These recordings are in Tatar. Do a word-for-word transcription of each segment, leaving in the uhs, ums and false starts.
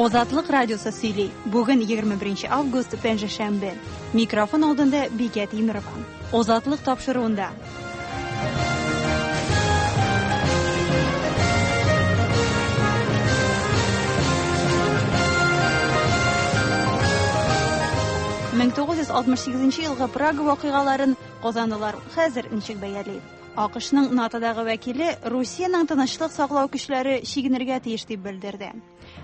Азатлык радиосы сөйли. Бүген егерме беренче август, пәнҗешәмбе. Микрофон алдында Бикә Тимирова. Азатлык тапшыруында. мең тугыз йөз алтмыш сигезенче елгы Прага вакыйгаларын казанлылар хәзер ничек бәяли? АКШның НАТОдагы вәкиле Русиянең тынычлык саклау көчләре чигенергә тиеш дип белдерде.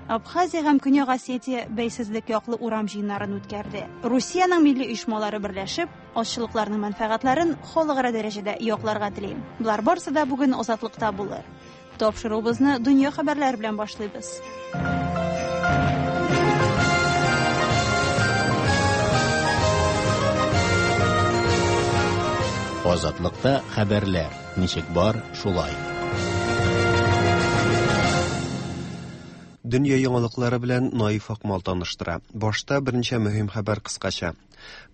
Абхазия һәм Көньяк Осетия бәйсезлек яклы урам җыеннарын үткәрде. Русиянең милли оешмалары берләшеп, азчылыкларның мәнфәгатьләрен халыкара дәрәҗәдә якларга тели. Болар барысы да бүген Азатлыкта булыр. Тапшыруыбызны дөнья хәбәрләре белән башлыйбыз. Азатлыкта хәбәрләр ничек бар, шулай. Дөнья яңалыклары белән Наиф Акмал таныштыра. Башта берничә мөһим хәбәр кыскача.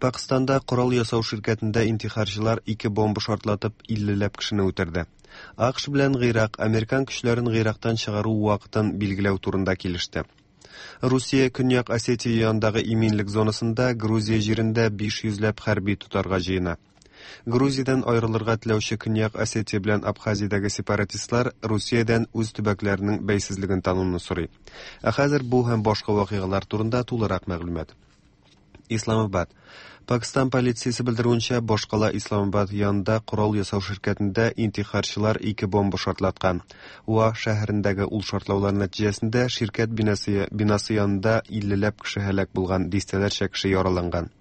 Пакистанда корал ясау ширкәтендә интихарчылар ике бомба шартлатып иллеләп кешене үтерде. АКШ белән Гыйрак американ көчләрен Гыйрактан чыгару вакытын билгеләү турында килеште. Русия Көньяк Осетия янындагы иминлек зонасында Грузия җирендә биш йөзләп хәрби тотарга җыена. Грузиядан аерылырга теләүче Көньяк Осетия белән Абхазиядәге сепаратистлар Русиядән үз төбәкләренең бәйсезлеген тануны сорый. Ә хәзер бу һәм башка вакыйгалар турында тулырак мәгълүмат. Исламабад. Пакистан полициясе белдерүенчә, башкала Исламабад янында корал ясау ширкәтендә интихарчылар ике бомба шартлаткан. Уа шәһәрендәге ул шартлаулар нәтиҗәсендә ширкәт бинасы, бинасы янында иллеләп кеше һәлак булган, дистәләрчә кеше яраланган.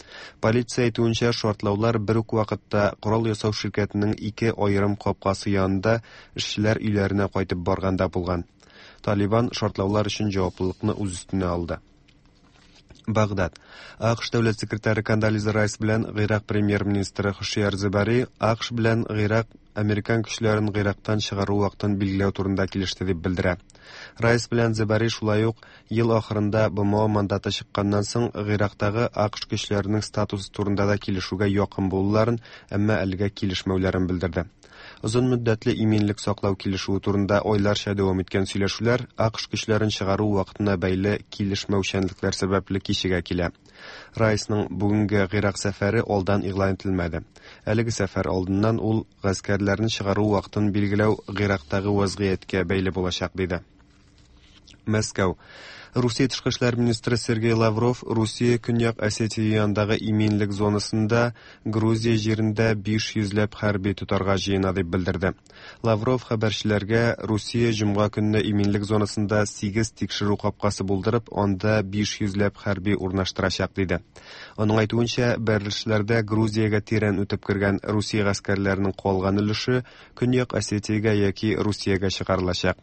Полиция әйтүенчә, шартлаулар бер үк вакытта корал ясау ширкәтенең ике аерым капкасы янында эшчеләр өйләренә кайтып барганда булган. Талибан шартлаулар өчен җаваплылыкны үз өстенә алды. Багдад. АКШ дәүләт секретаре Кондолиза Райс белән Гыйрак премьер-министры Хушияр Зебари АКШ белән Гыйрак американ көчләрен Гыйрактан чыгару вакытын билгеләү турында килеште дип белдерә. Райс белән Зебари шулай ук ел ахырында БМО мандаты чыкканнан соң Гыйрактагы АКШ көчләренең статусы турында да килешүгә якын булуларын, әмма әлегә килешмәүләрен белдерде. Озын мөддәтле иминлек саклау килешүе турында айларча дәвам иткән сөйләшүләр АКШ көчләрен чыгару вакытына бәйле килешмәүчәнлекләр сәбәпле кичегә килә. Райсның бүгенге Гыйрак сәфәре алдан игълан ителмәде. Әлеге сәфәр алдыннан ул гаскәрләрне чыгару вакытын билгеләү Гыйрактагы вазгыятькә бәйле булачак диде. Мәскәү. Русия тышкы эшләр министры Сергей Лавров Русия Көньяк Осетия янындагы иминлек зонасында Грузия җирендә биш йөзләп хәрби тотарга җыена дип белдерде. Лавров хәбәрчеләргә Русия җомга көнне иминлек зонасында сигез тикшерү капкасы булдырып, анда биш йөзләп хәрби урнаштырачак диде. Аның әйтүенчә, бәрелешләрдә Грузиягә тирән үтеп кергән Русия гаскәрләренең калган өлеше Көньяк Осетиягә яки Русиягә чыгарылачак.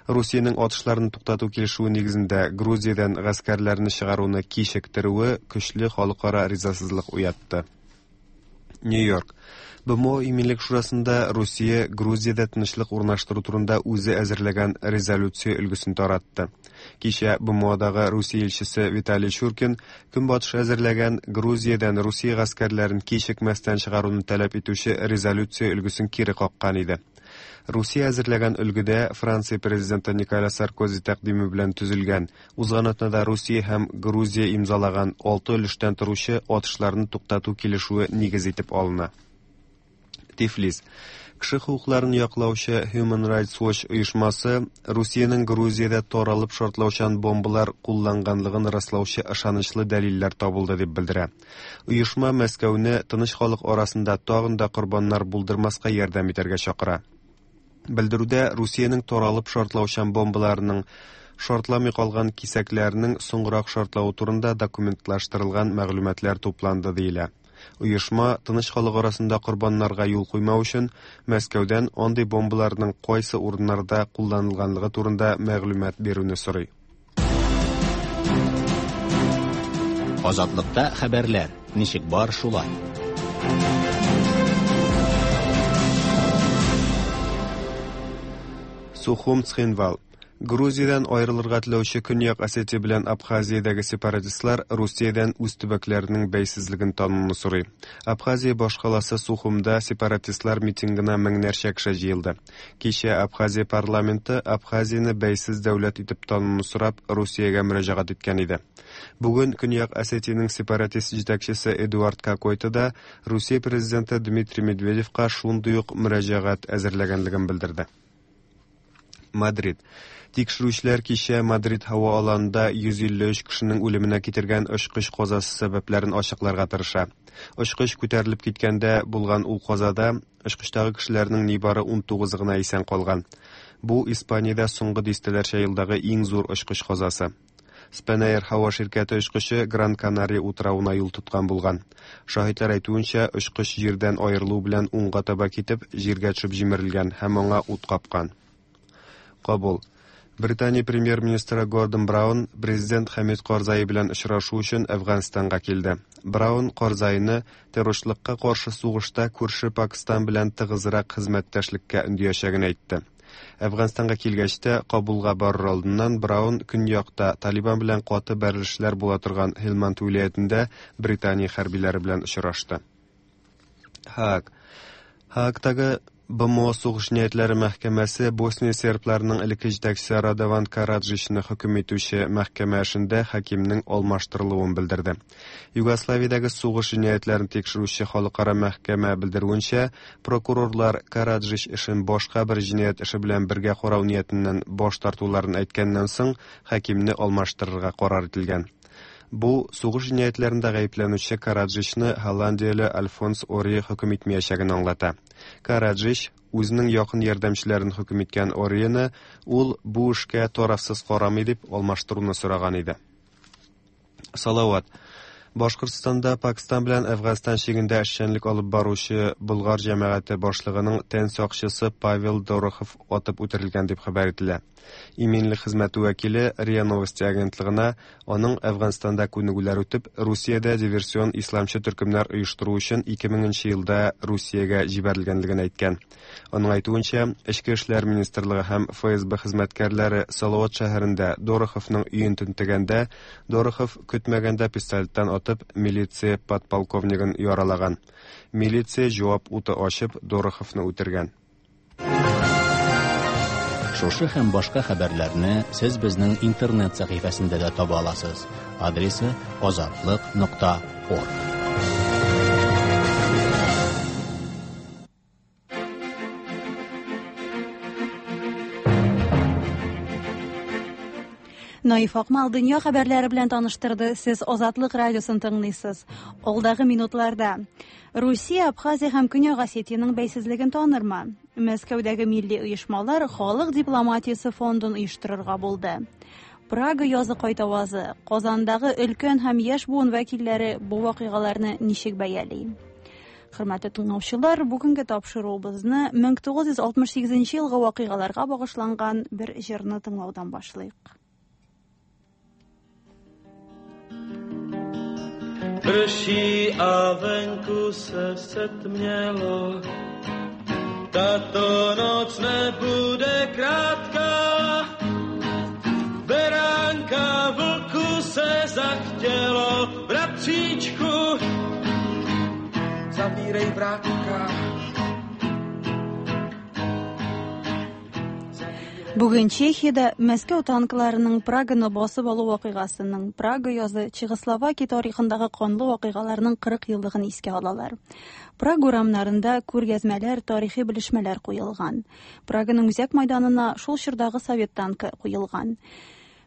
Русиянең атышларын туктату килешүе нигезендә Грузиядән гаскәрләрне чыгаруны кичектерүе көчле халыкара ризасызлык уятты. Нью-Йорк. БМО Иминлек шурасында Русия Грузиядә тынычлык урнаштыру турында үзе әзерләгән резолюция өлгесен таратты. Кичә БМОдагы Русия илчесе Виталий Чуркин Көнбатыш әзерләгән Грузиядән Русия гаскәрләрен кичекмәстән чыгаруны таләп итүче резолюция өлгесен кире каккан иде. Русия әзерләгән өлгедә Франция президенты Николя Саркози тәкъдиме белән төзелгән, узган атнада Русия һәм Грузия имзалаган алты өлештән торучы атышларны туктату килешүе нигез итеп алына. Тифлис. Кеше хокукларын яклаучы Human Rights Watch оешмасы Русиянең Грузиядә таралып шартлаучан бомбалар кулланганлыгын раслаучы ышанычлы дәлилләр табылды дип белдерә. Оешма Мәскәүне тыныч халык арасында тагын да корбаннар булдырмаска ярдәм итәргә чакыра. Белдерүдә Русиянең таралып шартлаучан бомбаларының шартламый калган кисәкләренең соңгырак шартлавы турында документлаштырылган мәгълүматлар тупланды диелә. Оешма тыныч халык арасында корбаннарга юл куймау өчен Мәскәүдән андый бомбаларның кайсы урыннарда кулланылганлыгы турында мәгълүмат бирүне сорый. Азатлыкта хәбәрләр ничек бар, шулай. Сухум Цхинвал. Грузиядән аерылырга теләүче Көньяк Осетия белән Абхазиядәге сепаратистлар Русиядән үз төбәкләренең бәйсезлеген тануны сорый. Абхазия башкаласы Сухумда сепаратистлар митингына меңнәрчә кеше җыелды. Кичә Абхазия парламенты Абхазияне бәйсез дәүләт итеп тануны сорап Русиягә мөрәҗәгать иткән иде. Бүген Көньяк Осетиянең сепаратист җитәкчесе Эдуард Кокойто да Русия президенты Дмитрий Медведевка шундый ук мөрәҗәгать әзерләгәнлеген белдерде. Мадрид. Тикшерүчеләр кичә Мадрид һава аланында йөз илле өч кешенең үлеменә китергән очкыч казасы сәбәпләрен ачыкларга тырыша. Очкыч күтәрелеп киткәндә булган ул казада очкычтагы кешеләрнең нибары ун тугызы гына исән калган. Бу Испаниядә соңгы дистәләрчә елдагы иң зур очкыч казасы. Spanair һава ширкәте очкычы Гран Канария утравына юл тоткан булган. Шаһитлар әйтүенчә, очкыч җирдән аерылу белән уңга таба китеп, җиргә төшеп җимерелгән һәм аңа ут капкан. Кабул. Британия премьер-министры Гордон Браун президент Хамид Карзай белән очрашу өчен Әфганстанга килде. Браун Карзайны террорчылыкка каршы сугышта күрше Пакистан белән тыгызрак хезмәттәшлеккә өндәячәген әйтте. Әфганстанга килгәч тә Кабулга барыр алдыннан Браун көньякта Талибан белән каты бәрелешләр була торган Һилманд вилаятендә Британия хәрбиләре белән очрашты. Һааг. Һаагтагы Б М О сугыш җинаятьләре мәхкәмәсе Босния сербларының элекке җитәкчесе Радован Караджичны хөкем итүче мәхкәмә эшендә хакимнең алмаштырылуын белдерде. Югославиядәге сугыш җинаятьләрен тикшерүче халыкара мәхкәмә белдерүенчә, прокурорлар Караджич эшен башка бер җинаять эше белән бергә карау ниятеннән баш тартуларын әйткәннән соң хакимне алмаштырырга карар ителгән. Бу сугыш җинаятьләрендә гаепләнүче Караджичны Голландияле Альфонс Ори хөкем итмәячәген аңлата. Караджич үзенең якын ярдәмчеләрен хөкем иткән Орины ул бу эшкә тарафсыз карамый дип алмаштыруны сораган иде. Салават. Башкортстанда Пакистан белән Әфганстан чигендә эшчәнлек алып баручы Болгар җәмәгате башлыгының тән сакчысы Павел Дорохов атып үтерелгән дип хәбәр ителә. Иминлек хезмәте вәкиле РИА Новости агентлыгына аның Әфганстанда күнегүләр үтеп, Русиядә диверсион исламчы төркемнәр оештыру өчен ике меңенче елда Русиягә җибәрелгәнлеген әйткән. Аның әйтүенчә, Эчке эшләр министрлыгы һәм Ф С Б хезмәткәрләре Салават шәһәрендә Дороховның өен тентегәндә, Дорохов көтмәгәндә пистолеттан атып милиция подполковнигын яралаган. Милиция җавап уты ачып Дороховны үтергән. Шушы һәм башка хәбәрләрне сез безнең интернет сәхифәсендә дә таба аласыз. Адресы азатлык нокта орг. Наиф Акмал дөнья хәбәрләре белән таныштырды. Сез Азатлык радиосын тыңлыйсыз. Алдагы минутларда Русия Абхазия һәм Көньяк Осетиянең бәйсезлеген танырмы? Мәскәүдәге милли оешмалар халык дипломатиясе фондын оештырырга булды. Прага язы кайтавазы, Казандагы өлкән һәм яшь буын вәкилләре бу вакыйгаларны ничек бәяли? Хөрмәтле тыңлаучылар, бүгенге тапшыруыбызны мең тугыз йөз алтмыш сигезенче елгы вакыйгаларга багышланган бер җырны тыңлаудан башлыйк. Prší a venku se setmělo, tato noc nebude krátká. Beránka vlku se zachtělo, bratříčku, zavírej vrátka. Бүген Чехиядә Мәскәү танкларының Праганы басып алу вакыйгасының, Прага язы Чехословакия тарихындагы канлы вакыйгаларның кырык еллыгын искә алалар. Прага урамнарында күргәзмәләр, тарихи белешмәләр куелган. Праганың үзәк майданына шул чордагы совет танкы куелган.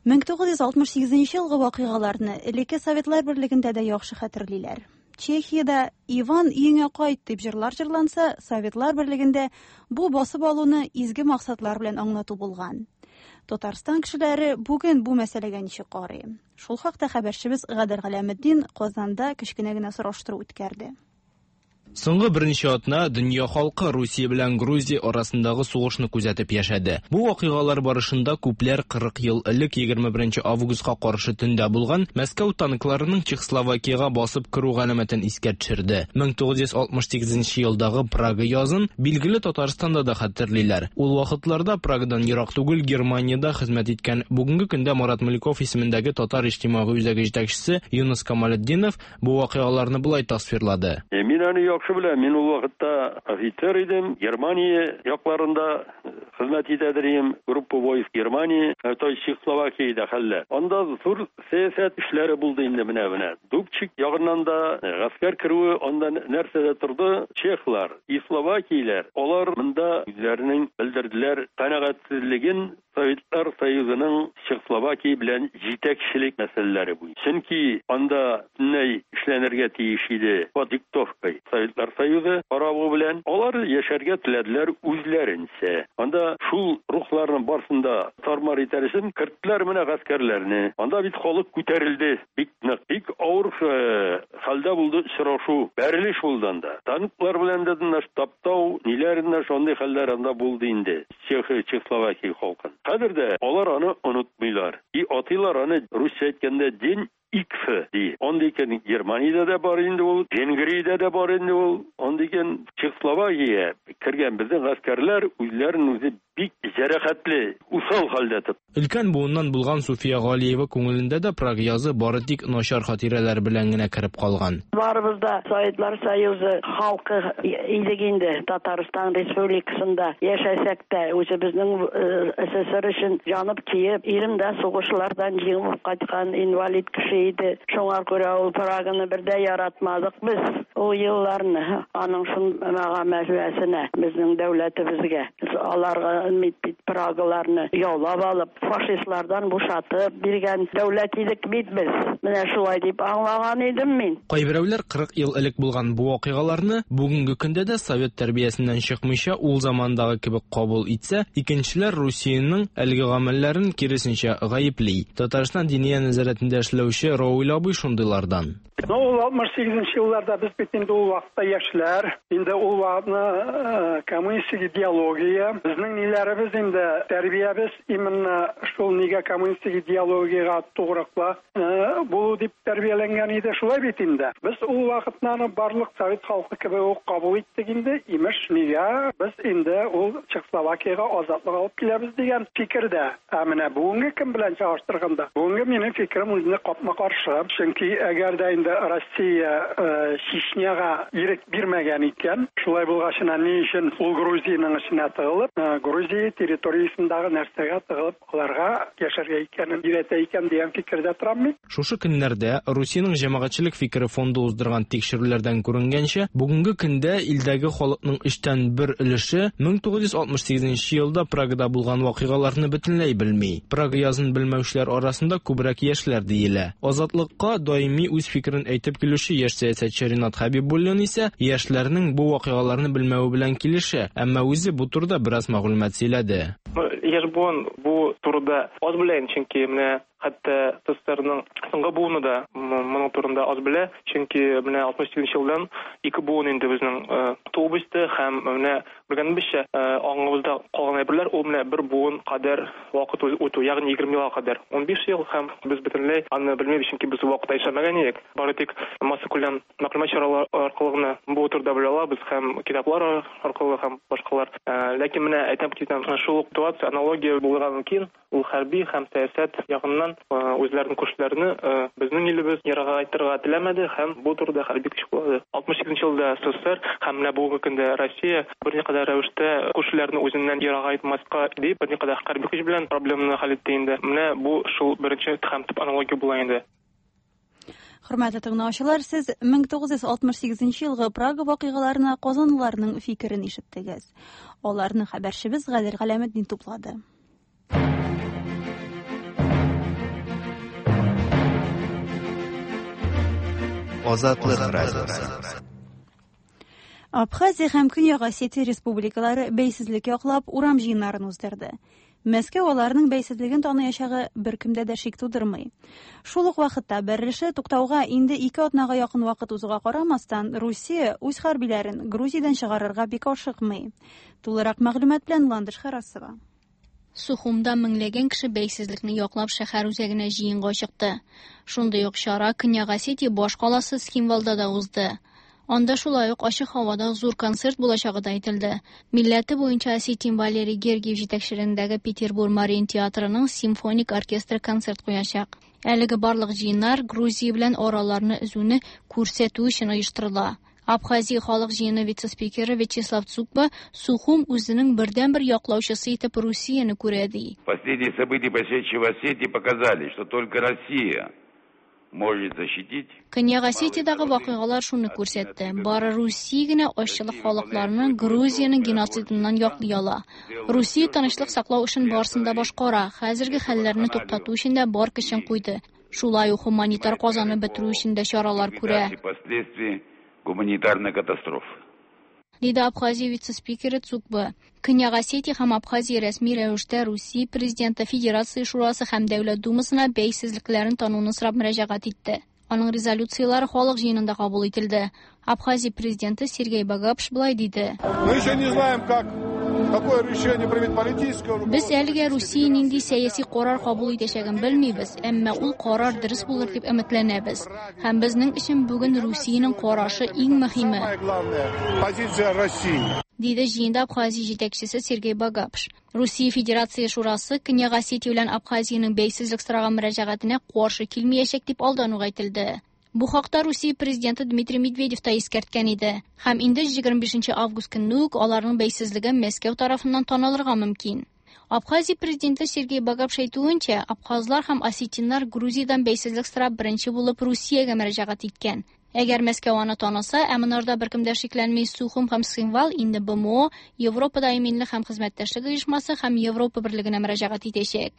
мең тугыз йөз алтмыш сигезенче елгы вакыйгаларны элекке Советлар Берлегендә дә яхшы хәтерлиләр. Чехиядә Иван өеңә кайт дип җырлар җырланса, Советлар Берлегендә бу басып алуны изге максатлар белән аңлату булган. Татарстан кешеләре бүген бу мәсьәләгә ничек карый? Шул хакта хәбәрчебез Гадел Галәметдин Казанда кечкенә генә сораштыру үткәрде. Соңгы берничә атна дөнья халкы Русия белән Грузия арасындагы сугышны күзәтеп яшәде. Бу вакыйгалар барышында күпләр кырык ел элек егерме беренче августка каршы төндә булган Мәскәү танкларының Чехословакиягә басып керү галәмәтен искә төшерде. мең тугыз йөз алтмыш сигезенче елдагы Прага язын билгеле Татарстанда да хәтерлиләр. Ул вакытларда Прагадан ерак түгел Германиядә хезмәт иткән бүгенге көндә Марат Муляков исемендәге Татар иҗтимагый үзәге җитәкчесе Юныс Камалетдинов бу вакыйгаларны болай тасвирлады. Мин аны яхшы беләм. Мин ул вакытта офицер идем. Германия якларында хезмәт итә идем. Группа войск Германия, то есть Чехословакиядә хәлләр. Анда зур сәясәт эшләре булды инде менә менә. Дубчик ягыннан да гаскәр керүе анда нәрсәдә торды? Чехлар, и словакияләр. Алар монда үзләренең белдерделәр канәгатьсезлеген Советлар Союзының Чехословакия белән җитәкчелек мәсьәләләре буенча. Чөнки анда ни эшләнергә тиеш иде по диктовкой Советлар Союзы каравы белән алар яшәргә теләделәр үзләренчә. Анда шул рухларның барысын да тармар итәр өчен керттеләр менә гаскәрләрне. Анда бит халык күтәрелде бик нык. Бик авыр хәлдә булды очрашу, бәрелеш булды анда. Танклар белән дә таптау, ниләр инде шундый хәлләр анда булды инде. Чехословакия халкын. Хәзер дә алар аны онытмыйлар. И атыйлар аны русча әйткәндә день Икс ди. Анда икән Германиядә дә бар инде ул, Венгриядә дә бар инде ул. Анда икән Чехословакия кергән безнең гаскәрләр үзләрен үзе бик җәрәхәтле, усал хәлдә тотты. Өлкән буыннан булган Суфия Галиева күңелендә дә Прага язы бары тик начар хатирәләр белән генә кереп калган. Барыбыз да Советлар Союзы халкы идек инде. Татарстан Республикасында яшәсәк тә үзебезнең СССР өчен янып киеп, ирем дә сугышлардан җиңеп кайткан инвалид кеше иде. Шуңа күрә ул Праганы бер дә яратмадык без. Ул елларны аның шул мәгълүматына безнең дәүләтебезгә аларга бит Прагаларны яулап алып, фашистлардан бушатып биргән дәүләт идек бит без. Менә шулай дип аңлаган идем мин. Кайберәүләр кырык ел элек булган бу вакыйгаларны бүгенге көндә дә совет тәрбиясеннән чыкмыйча ул замандагы кебек кабул итсә, икенчеләр Русиянең әлеге гамәлләрен киресенчә гаепли. Татарстан Диния нәзарәтендә эшләүче Рауль абый шундыйлардан. Ну, ул алтмыш сигезенче елларда без бит инде ул вакытта яшьләр, инде ул вакытны коммунистик идеология, безнең ниләребез инде тәрбиябез именно шул нигә коммунистик идеологиягә тугрыклы булу дип тәрбияләнгән иде, шулай бит инде. Без ул вакытны барлык совет халкы кебек үк кабул иттек инде, имеш нигә без инде ул Чехословакиягә азатлык алып киләбез дигән фикердә. Ә менә бүгенге кем белән чагыштырганда, бүгенге минем фикерем үзенә капма-каршы. Чөнки әгәр дә инде Россия Чечняга ирек бирмәгән икән, шулай булгачына ни өчен ул Грузиянең эченә тыгылып, Грузия территориясендәге нәрсәгә тыгылып, аларга яшәргә икәнен өйрәтә икән дигән фикердә торам мин. Шушы көннәрдә Русиянең җәмәгатьчелек фикере фонды уздырган тикшерүләрдән күренгәнчә, бүгенге көндә илдәге халыкның өчтән бер өлеше мең тугыз йөз алтмыш сигезенче елда Прагада булган вакыйгаларны бөтенләй белми. Прага язын белмәүчеләр арасында күбрәк яшьләр диелә. Азатлыкка даими үз фикерен әйтеп килүче яшь сәясәтче Ринат Хәбибуллин исә яшьләрнең бу вакыйгаларны белмәве белән килешә, әмма үзе бу турыда бераз мәгълүмат сөйләде. Яшь буын бу турыда аз белә, чөнки менә хәтта СССРның соңгы буыны да моның турында аз белә, чөнки менә алтмыш сигезенче елдан ике буын инде безнең туып үсте һәм менә белгәнебезчә аңыбызда калган әйберләр ул менә бер буын кадәр вакыт үтү, ягъни егерме елга кадәр, унбиш ел, һәм без бөтенләй аны белмибез, чөнки без ул вакытта яшәмәгән идек. Бары тик массакүләм мәгълүмат чаралары аркылы гына бу турыда белә алабыз һәм китаплар аркылы һәм башкалар. Ләкин менә әйтәм китәм, шул ук ситуация аналогия булырга мөмкин. Ул хәрби һәм сәясәт ягыннан үзләренең күршеләрне безнең илебез ерагайтырга теләмәде һәм бу турыда хәрби көч кулланды. алтмыш сигезенче елда СССР һәм менә бүгенге көндә Россия берникадәр рәвештә күршеләрне үзеннән ерагайтмаска дип берникадәр хәрби көч белән проблеманы хәл итте инде. Менә бу шул беренче һәм төп аналогия була инде. Хөрмәтле тыңлаучылар, сез мең тугыз йөз алтмыш сигезенче елгы Прага вакыйгаларына казанлыларның фикерен ишеттегез. Аларны хәбәрчебез Гадел Галәметдин туплады. Азатлык радиосы. Абхазия һәм Көньяк Осетия республикалары бәйсезлек яклап урам җыеннарын уздырды. Мәскәү аларның бәйсезлеген таныячагы беркемдә дә шик тудырмый. Шул ук вакытта бәрелеше туктауга инде ике атнага якын вакыт узуга карамастан, Русия үз хәрбиләрен Грузиядән чыгарырга бик ашыкмый. Тулырак мәгълүмат белән Ландыш Харасова. Сухумда меңләгән кеше бәйсезлекне яклап шәһәр үзәгенә җыенга чыкты. Шундый ук чара Көньяк Осетия баш каласы Цхинвалда да узды. Анда шулай ук ачык һавада зур концерт булачагы да әйтелде. Милләте буенча осетин Валерий Гергиев җитәкчелегендәге Петербург Мариин театрының симфоник оркестры концерт куячак. Әлеге барлык җыеннар Грузия белән араларны өзүне күрсәтү өчен оештырыла. Абхазия халык җыены вице-спикеры Вячеслав Цукба Сухум үзенең бердәнбер яклаучысы итеп Русияне күрә ди. Последние события, происшедшие в Осетии, показали, что только Россия может защитить. Көньяк Осетиядагы вакыйгалар шуны күрсәтте. Бары Русия генә азчылык халыкларны Грузиянең геноцидыннан яклый ала. Русия тынычлык саклау эшен барысын да башкара, хәзерге хәлләрне туктату өчен дә бар көчен куйды. Шулай ук гуманитар казаны бетерү өчен дә чаралар күрә. Гуманитарная катастрофа. Диде Абхазия вице-спикеры Цукба. Көньяк Осетия һәм Абхазия рәсми рәвештә Русия президенты Федерация Шурасы һәм Дәүләт Думасына бәйсезлекләрен тануны сорап мөрәҗәгать итте. Аның резолюциялары халык җыенында кабул ителде. Абхазия президенты Сергей Багапш былай диде. Мы еще не знаем, как какое решение примет политическое руководство. Без әлегә Русия нинди сәяси карар кабул итәчәген белмибез, әмма ул карар дөрес булыр дип өметләнәбез. Һәм безнең өчен бүген Русиянең карашы иң мөһиме. Самая главная позиция России. Диде җыенда Абхазия җитәкчесе Сергей Багапш. Русия Федерация Шурасы Көньяк Осетия белән Абхазиянең бәйсезлек сораган мөрәҗәгатенә каршы килмәячәк дип алдан ук әйтелде. Бу хакта Русия президенты Дмитрий Медведев та искәрткән иде. Һәм инде егерме бишенче август көнне үк аларның бәйсезлеге Мәскәү тарафыннан танылырга мөмкин. Абхазия президенты Сергей Багапш әйтүенчә, абхазлар һәм осетиннар Грузиядән бәйсезлек сорап беренче булып Русиягә мөрәҗәгать иткән. Әгәр Мәскәү аны таныса, ә монарда беркем дә шикләнми, Сухум һәм Цхинвал инде Б М О, Европада иминлек һәм хезмәттәшлек оешмасы һәм Европа берлегенә мөрәҗәгать итәчәк.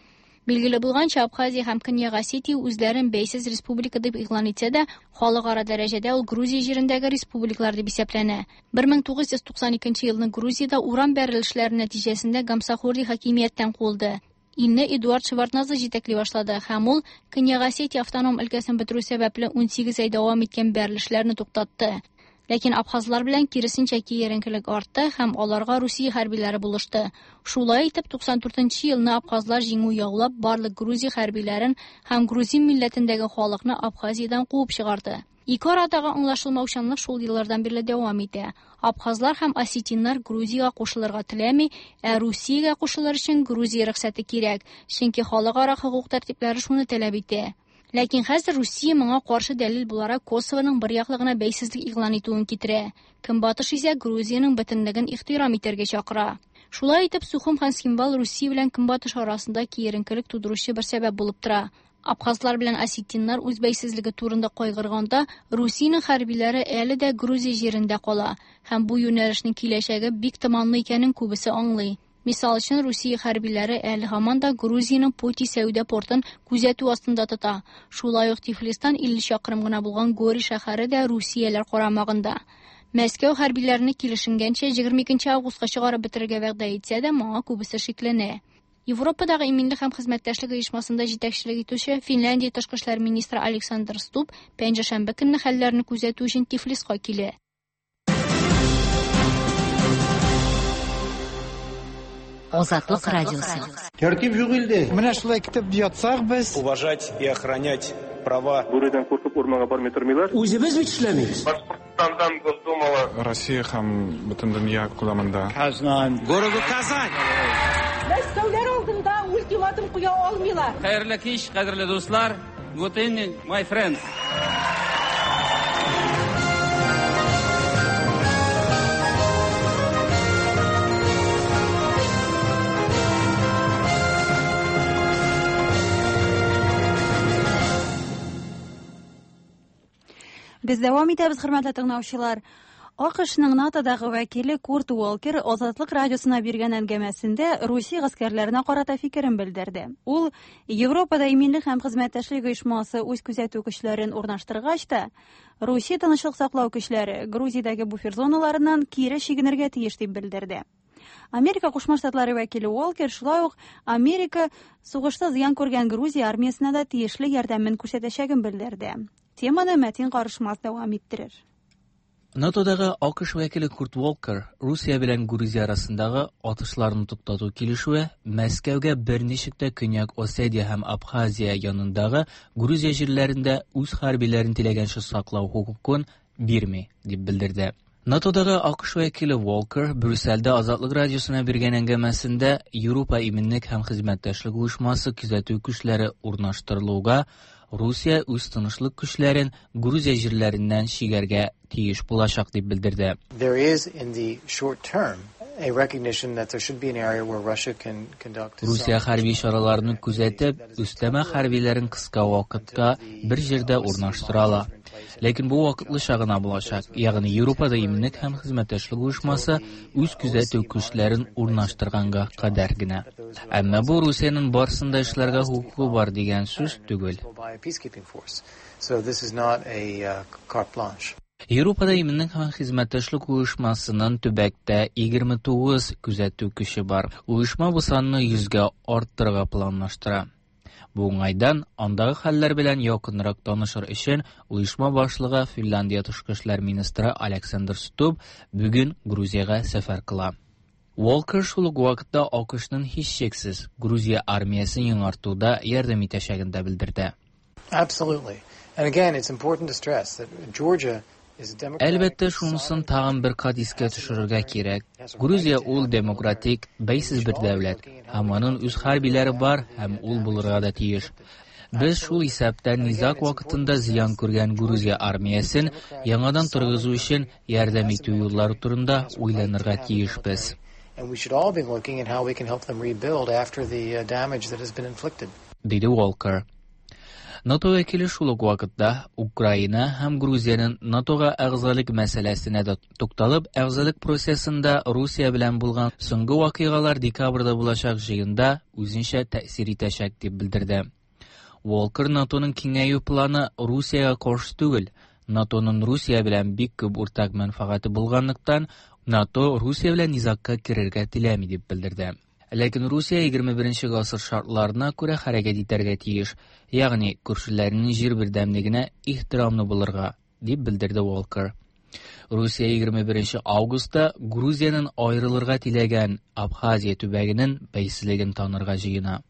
Билгеле булганча, Абхазия һәм Көньяк Осетия үзләрен бәйсез республика дип игълан итсә дә, халыкара дәрәҗәдә ул Грузия җирендәге республикалар дип исәпләнә. бер мең тугыз йөз туксан икенче елны Грузиядә урам бәрелешләре нәтиҗәсендә Гамсахурди хакимияттән куылды. Илне Эдуард Шеварднадзе җитәкли башлады һәм ул Көньяк Осетия автоном өлкәсен бетерү сәбәпле унсигез ай дәвам иткән бәрелешләрне туктатты. Ләкин абхазлар белән киресенчә киеренкелек артты һәм аларга Русия хәрбиләре булышты. Шулай итеп, туксан дүртенче елны абхазлар җиңү яулап, барлык Грузия хәрбиләрен һәм грузин милләтендәге халыкны Абхазиядән куып чыгарды. Ике арадагы аңлашылмаучанлык шул еллардан бирле дәвам итә. Абхазлар һәм осетиннар Грузиягә кушылырга теләми, ә Русиягә кушылыр өчен Грузия рөхсәте кирәк, чөнки халыкара хокук тәртипләре шуны таләп итә. Ләкин хәзер Русия моңа каршы дәлил буларак Косовоның бер яклы гына бәйсезлек игълан итүен китерә. Көнбатыш исә Грузиянең бөтенлеген ихтирам итәргә чакыра. Шулай итеп, Сухум һәм Цхинвал Русия белән Көнбатыш арасында киеренкелек тудыручы бер сәбәп булып тора. Абхазлар белән осетиннар үз бәйсезлеге турында кайгырганда, Русиянең хәрбиләре әле дә Грузия җирендә кала һәм бу юнәлешнең киләчәге бик томанлы икәнен күбесе аңлый. Мисал өчен, Русия хәрбиләре әле һаман да Грузиянең Поти сәүдә портын күзәтү астында тота. Шулай ук Тифлистан илле чакрым гына булган Гори шәһәре дә Русияләр карамагында. Мәскәү хәрбиләрне килешенгәнчә егерме икенче августка чыгарып бетерергә вәгъдә итсә дә, моңа күбесе шикләнә. Европадагы иминлек һәм хезмәттәшлек оешмасында җитәкчелек итүче Финляндия тышкы эшләр министры Александр Стуб пәнҗешәмбе көнне хәлләрне күзәтү өчен Тифлиска килә. Азатлык радиосы. Тәртип юк илдә. Менә шулай китеп ятсак без. Уважать и охранять права. Бүредән куркып урманга бармый тормыйлар. Үзебез бит эшләмибез. Башкортстандан Госдумала. Россия һәм бөтен дөнья күләмендә. Казан. Городу Казань. Мәскәүләр алдында ультиматум куя алмыйлар. Хәерле кич, кадерле дуслар. Good evening, my friends. Без дәвам итәбез, хөрмәтле тыңлаучылар. АКШның НАТОдагы вәкиле Курт Уолкер Азатлык радиосына биргән әңгәмәсендә Русия гаскәрләренә карата фикерен белдерде. Ул Европада иминлек һәм хезмәттәшлек оешмасы үз күзәтү көчләрен урнаштыргач та, Русия тынычлык саклау көчләре Грузиядәге буфер зоналарыннан кире чигенергә тиеш дип белдерде. Америка Кушма Штатлары вәкиле Уолкер шулай ук Америка сугышта зыян күргән Грузия армиясенә дә тиешле ярдәмен күрсәтәчәген белдерде. Теманы Мәтин Карышмас дәвам иттерер. НАТОдагы АКШ вәкиле Курт Уолкер Русия белән Грузия арасындагы атышларны туктату килешүе Мәскәүгә берничек тә Көньяк Осетия һәм Абхазия янындагы Грузия җирләрендә үз хәрбиләрен теләгәнчә саклау хокукын бирми, дип белдерде. НАТОдагы АКШ вәкиле Уолкер Брюссельдә Азатлык радиосына биргән әңгәмәсендә Европа иминлек һәм хезмәттәшлек оешмасы күзәтү көчләре урнаштырылуга Русия үз тынычлык көчләрен Грузия җирләреннән чигәргә тиеш булачак дип белдерде. There is in the short term a recognition that there should be an area where Russia can conduct Русия хәрби чараларны күзәтеп, өстәмә хәрбиләрен кыска вакытка бер җирдә урнаштыра ала. Ләкин бу вакытлыча гына булачак, ягъни Европада иминлек һәм хезмәттәшлек оешмасы үз күзәтү көчләрен урнаштырганга кадәр генә. Әмма бу Русиянең барысын да эшләргә хокукы бар дигән сүз түгел. So this is not a uh, carte blanche. Европада иминлек һәм хезмәттәшлек оешмасының төбәктә егерме тугыз күзәтү көче бар. Оешма бу санны йөзгә арттырырга планлаштыра. Бу уңайдан андагы хәлләр белән якынрак танышыр өчен оешма башлыгы Финляндия тышкы эшләр министры Александр Стуб бүген Грузиягә сәфәр кыла. Уолкер шул ук вакытта АКШның һичшиксез Грузия армиясен яңартуда ярдәм итәчәген дә белдерде. Absolutely. And again, it's important to stress that Georgia Әлбәттә, шунысын тагын бер кат искә төшерергә кирәк. Грузия ул демократик, бәйсез бер дәүләт, һәм аның үз хәрбиләре бар һәм ул булырга да тиеш. Без шул исәптән низаг вакытында зыян күргән Грузия армиясен яңадан торгызу өчен ярдәм итү юллары турында уйланырга тиешбез. And we should all be looking at how we can help them rebuild after the damage that has been inflicted. Диде Уолкер. НАТО вәкиле шул ук вакытта Украина һәм Грузиянең НАТОга әгъзалык мәсьәләсенә дә тукталып, әгъзалык процессында Русия белән булган соңгы вакыйгалар декабрьдә булачак җыенда үзенчә тәэсир итәчәк дип белдерде. Уолкер НАТОның киңәю планы Русиягә каршы түгел, НАТОның Русия белән бик күп уртак мәнфәгате булганлыктан, НАТО Русия белән низагка керергә теләми дип белдерде. Ләкин Русия егерме беренче гасыр шартларына күрә хәрәкәт итәргә тиеш, ягъни күршеләренең җир бердәмлегенә ихтирамлы булырга, дип белдерде Уолкер. Русия егерме беренче августта Грузиянең аерылырга теләгән Абхазия төбәгенең бәйсезлеген танырга җыена.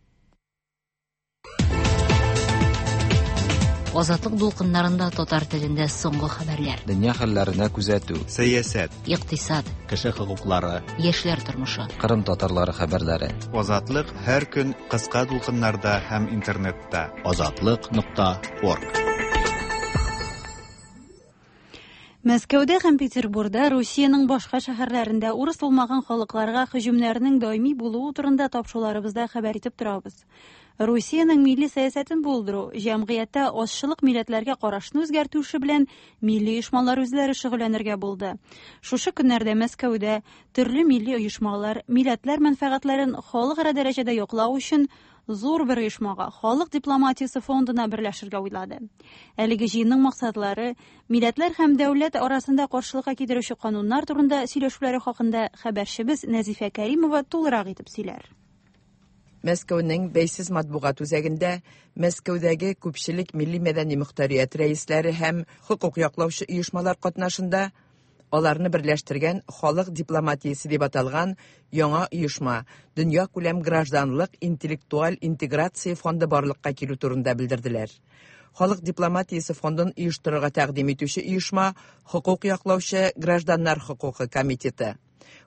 Азатлык дулкыннарында татар телендә соңгы хәбәрләр. Дөнья хәлләренә күзәтү, сәясәт, икътисад, кеше хокуклары, яшьләр тормышы, Кырым татарлары хәбәрләре. Азатлык һәр көн кыска дулкыннарда һәм интернетта. Азатлык нокта орг. Мәскәүдә һәм Петербургда Русиянең башка шәһәрләрендә урыс булмаган халыкларга һөҗүмнәрнең даими булуы турында тапшыруларыбызда хәбәр итеп торабыз. Русиянең милли сәясәтен булдыру, җәмгыятьтә азчылык милләтләргә карашны үзгәртү эше белән милли оешмалар үзләре шөгыльләнергә булды. Шушы көннәрдә Мәскәүдә төрле милли оешмалар милләтләр мәнфәгатьләрен халыкара дәрәҗәдә яклау өчен зур бер оешмага, Халык дипломатиясе фондына берләшергә уйлады. Әлеге җыенның максатлары милләтләр һәм дәүләт арасында каршылыкка китерүче кануннар турында сөйләшүләре хакында хәбәрчебез Нәзифә Кәримова тулырак итеп сөйләр. Мәскәүнең бәйсез матбугат үзәгендә Мәскәүдәге күпчелек милли мәдәни мөхтәрият рәисләре һәм хокук яклаучы оешмалар катнашында аларны берләштергән Халык дипломатиясе дип аталган яңа оешма Дөнья күләм гражданлык интеллектуаль интеграция фонды барлыкка килү турында белдерделәр. Халык дипломатиясе фондын оештырырга тәкъдим итүче оешма хокук яклаучы гражданнар хокукы комитеты.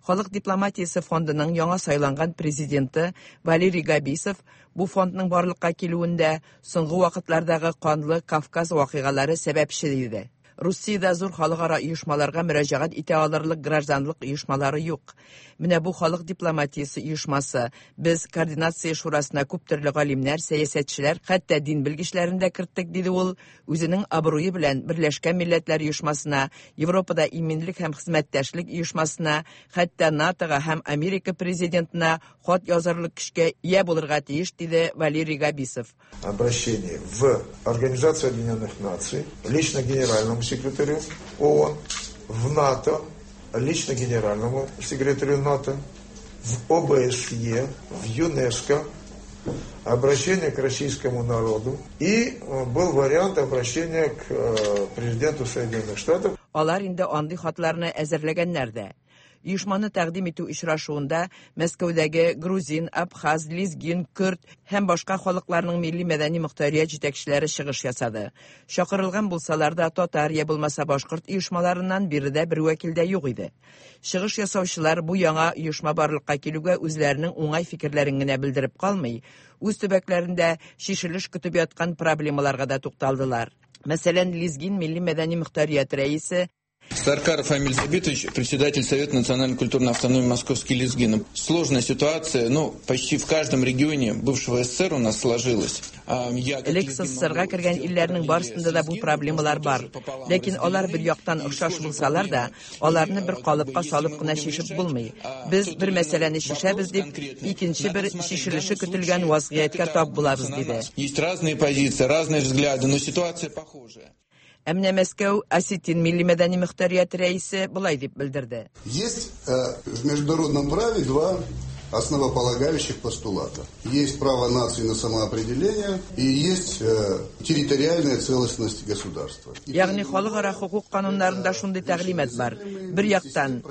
Халык дипломатиясе фондының яңа сайланган президенты Валерий Габисов бу фондның барлыкка килүендә соңгы вакытлардагы канлы Кавказ вакыйгалары сәбәпче диде. Русиядә зур халыкара оешмаларга мөрәҗәгать итә алырлык гражданлык оешмалары юк. Менә бу халык дипломатиясе оешмасы. Без координация шурасына күп төрле галимнәр, сәясәтчеләр, хәтта дин белгечләрен дә керттек, диде ул. Үзенең абруе белән Берләшкән Милләтләр Оешмасына, Европада иминлек һәм хезмәттәшлек оешмасына, хәтта НАТОга һәм Америка президентына хат язарлык көчкә ия булырга тиеш, диде Валерий Габисов. Обращение в Организацию Объединенных Наций, лично генеральному секретарю ООН, в НАТО, лично генеральному секретарю НАТО в ОБСЕ, в ЮНЕСКО, обращение к российскому народу и был вариант обращения к президенту Соединенных Штатов. Алар инде андый хатларны әзерләгәннәр дә. Оешманы тәкъдим итү очрашуында Мәскәүдәге грузин, абхаз, лезгин, көрд һәм башка халыкларның милли мәдәни мохтарият җитәкчеләре чыгыш ясады. Чакырылган булсалар да татар я булмаса башкорт оешмаларыннан биредә бер вәкил дә юк иде. Чыгыш ясаучылар бу яңа оешма барлыкка килүгә үзләренең уңай фикерләрен генә белдереп калмый, үз төбәкләрендә чишелеш көтеп яткан проблемаларга да тукталдылар. Мәсәлән, лезгин милли мәдәни мохтарият рәисе Саркаров Амиль Забитович, председатель Совета национально-культурной автономии Московский лезгин. Сложная ситуация, ну, почти в каждом регионе бывшего СССР у нас сложилась. Элек СССРга кергән илләрнең барысында да бу проблемалар бар. Ләкин алар бер яктан охшаш булсалар да, аларны бер калыпка салып кына чишеп булмый. Без бер мәсьәләне чишәбез дип, икенче бер чишелеше көтелгән вазгыятькә тап булабыз, диде. Есть разные позиции, разные взгляды, но ситуация похожая. Ә менә Мәскәү осетин милли мәдәни мохтарият рәисе болай дип белдерде. Есть в международном праве два основополагающих постулата. Есть право нации на самоопределение и есть территориальная целостность государства. Ягъни халыкара хукук кануннарында шундый тәгълимат бар. Бер яктан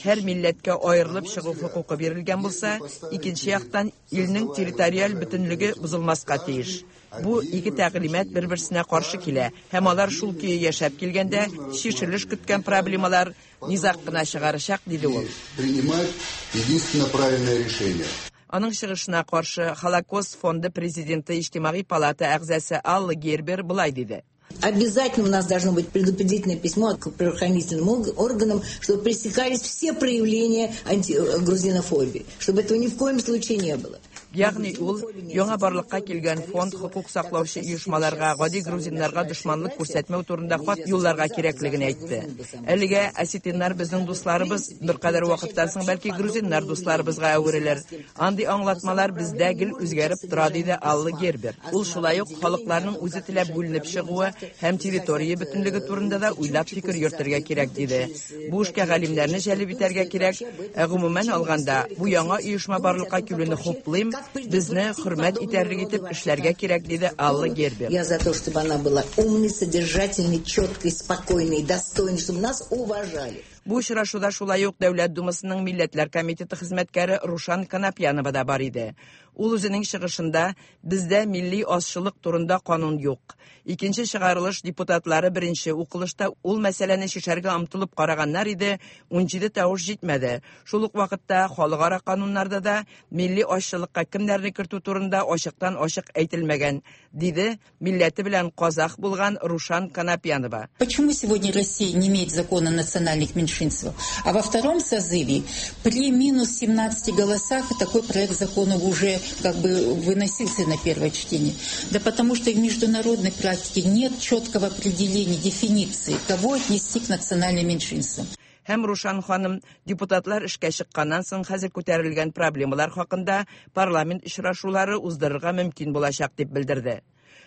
һәр милләткә аерылып чыгу хокукы бирелгән булса, икенче яктан илнең территориаль бөтенлеге бозылмаска тиеш. Бу ике тәгълимат бер-берсенә каршы килә һәм алар шул көе яшәп килгәндә чишелеш көткән проблемалар низаг кына чыгарачак, диде ул. Принимать единственно правильное решение. Аның чыгышына каршы Холокост фонды президенты Иҗтимагый палата әгъзасы Алла Гербер болай диде. Обязательно у нас должно быть предупредительное письмо к правоохранительным органам, чтобы пресекались все проявления антигрузинофобии, чтобы этого ни в коем случае не было. Ягъни ул яңа барлыкка килгән фонд хокук саклаучы оешмаларга, гади грузиннарга дошманлык күрсәтмәү турында хат юлларга кирәклеген әйтте. Әлегә осетиннар безнең дусларыбыз, беркадәр вакыттан соң бәлки грузиннар дусларыбызга әверелер. Андый аңлатмалар бездә гел үзгәреп тора, диде Алла Гербер. Ул шулай ук халыкларның үзе теләп бүленеп чыгуы һәм территория бөтенлеге турында да уйлап фикер йөртергә кирәк, диде. Бу эшкә галимнәрне җәлеп итәргә кирәк. Ә гомумән алганда, бу яңа оешма барлыкка килүне хуплыйм. Безне хөрмәт итәрлек итеп эшләргә кирәк, диде Алла Гербер. Я за то, чтобы она была умной, содержательной, четкой, спокойной, достойной, чтобы нас уважали. Бу очрашуда шулай ук Дәүләт Думасының Милләтләр комитеты хезмәткәре Рушан Канапьянова да бар иде. Ул үзенең чыгышында бездә милли азчылык турында канун юк. Икенче чыгарылыш депутатлары беренче укылышта ул мәсьәләне чишәргә омтылып караганнар иде, унҗиде тавыш җитмәде. Шул ук вакытта халыкара кануннарда да милли азчылыкка кемнәрне кертү турында ачыктан ачык әйтелмәгән, диде милләте белән казах булган Рушан Канапьянова. Почему сегодня Россия не имеет закона о национальных меньшинствах? А во втором созыве при минус семнадцати голосах такой проект закона уже как бы выносился на первое чтение. Да потому что в международной практике нет четкого определения, дефиниции, кого отнести к национальным меньшинствам. Һәм Рушан ханым депутатлар эшкә чыкканнан соң хәзер күтәрелгән проблемалар хакында парламент очрашулары уздырырга мөмкин булачак дип белдерде.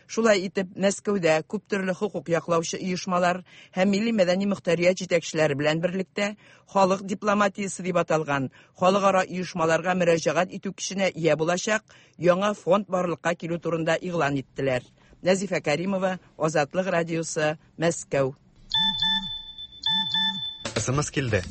Шулай итеп, Мәскәүдә күп төрле хокук яклаучы оешмалар һәм милли мәдәни мохтарият җитәкчеләре белән берлектә халык дипломатиясе дип аталган халыкара оешмаларга мөрәҗәгать итү көченә ия булачак яңа фонд барлыкка килү турында игълан иттеләр. Нәзифә Каримова, Азатлык радиосы, Мәскәү. Эс эм эс килде.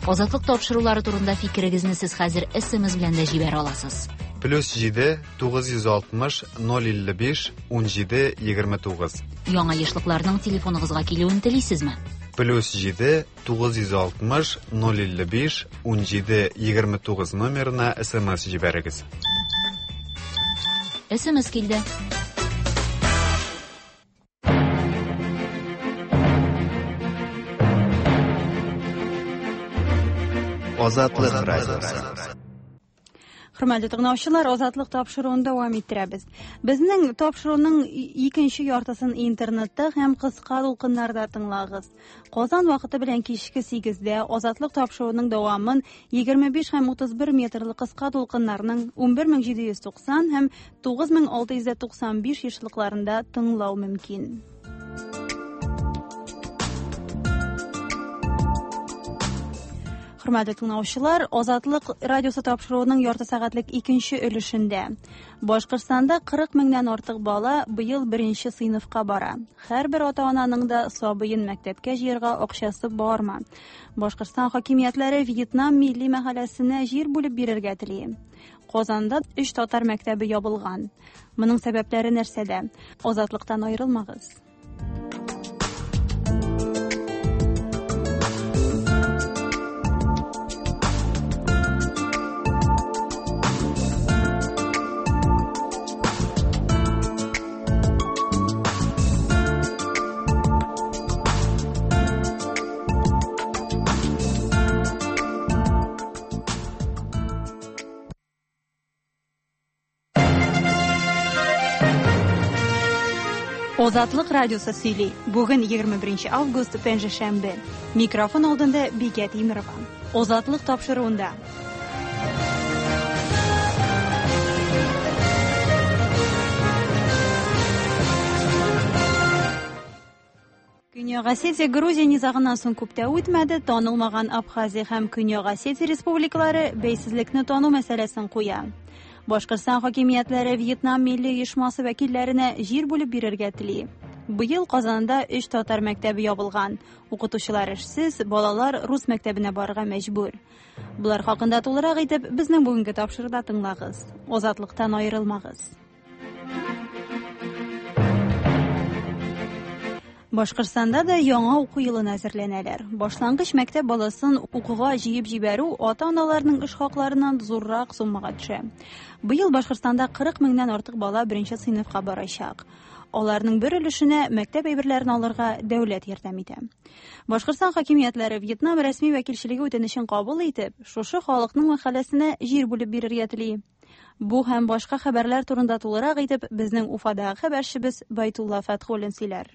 Азатлык тапшырулары турында фикерегезне сез хәзер эс эм эс белән дә җибәрә аласыз. Плюс җиде, тугыз йөз алтмыш, ноль илле биш, ун җиде, егерме тугыз. Яңа ешлыкларның телефоныгызга килүен телисезме? Плюс җиде, тугыз йөз алтмыш, ноль илле биш, ун җиде, егерме тугыз номерына эс эм эс җибәрегез. эс эм эс килде. Азатлык радиосы. Хөрмәтле тыңлаучылар, Азатлык тапшыруын дәвам иттерәбез. Безнең тапшыруның икенче яртысын интернетта һәм кыска дулкыннарда тыңлагыз. Казан вакыты белән кичке сигездә Азатлык тапшыруының дәвамын егерме биш һәм утыз бер метрлы кыска дулкыннарның ун бер мең җиде йөз туксан һәм тугыз мең алты йөз туксан биш ешлыкларында тыңлау мөмкин. Хөрмәтле тыңлаучылар, Азатлык радиосы тапшыруының ярты сәгатьлек икенче өлешендә Башкортстанда кырык меңнән артык бала быел беренче сыйныфка бара. Һәрбер ата-ананың да сабыен мәктәпкә җыярга акчасы бармы? Башкортстан хакимиятләре Вьетнам милли мәхәлләсенә җир бүлеп бирергә тели. Казанда өч татар мәктәбе ябылган. Моның сәбәпләре нәрсәдә? Азатлыктан аерылмагыз. Азатлык радиосы сөйли. Бүген егерме беренче август, пәнҗешәмбе. Микрофон алдында Бикә Тимирова. Азатлык тапшыруында. Көньяк Осетия Грузия низагыннан соң күп тә үтмәде, танылмаган Абхазия һәм Көньяк Осетия республикалары бәйсезлекне тану мәсьәләсен куя. Башкортстан хакимиятләре Вьетнам милли оешмасы вәкилләренә җир бүлеп бирергә тели. Быел Казанда өч татар мәктәбе ябылган. Укытучылар эшсез, балалар рус мәктәбенә барырга мәҗбүр. Булар хакында тулырак итеп безнең бүгенге тапшыруда тыңлагыз. Азатлыктан аерылмагыз. Башкортстанда да яңа уку елына әзерләнәләр. Башлангыч мәктәп баласын укуга җыеп җибәрү ата-аналарның эш хакларыннан зуррак суммага төшә. Быел Башкортстанда кырык меңнән артык бала беренче сыйныфка барачак. Аларның бер өлешенә мәктәп әйберләрен алырга дәүләт ярдәм итә. Башкортстан хакимиятләре Вьетнам рәсми вәкилчелеге үтенечен кабул итеп, шушы халыкның мәхәлләсенә җир бүлеп бирергә тели. Бу һәм башка хәбәрләр турында тулырак итеп безнең Уфадагы хәбәрчебез Байтулла Фәтхуллин сөйләр.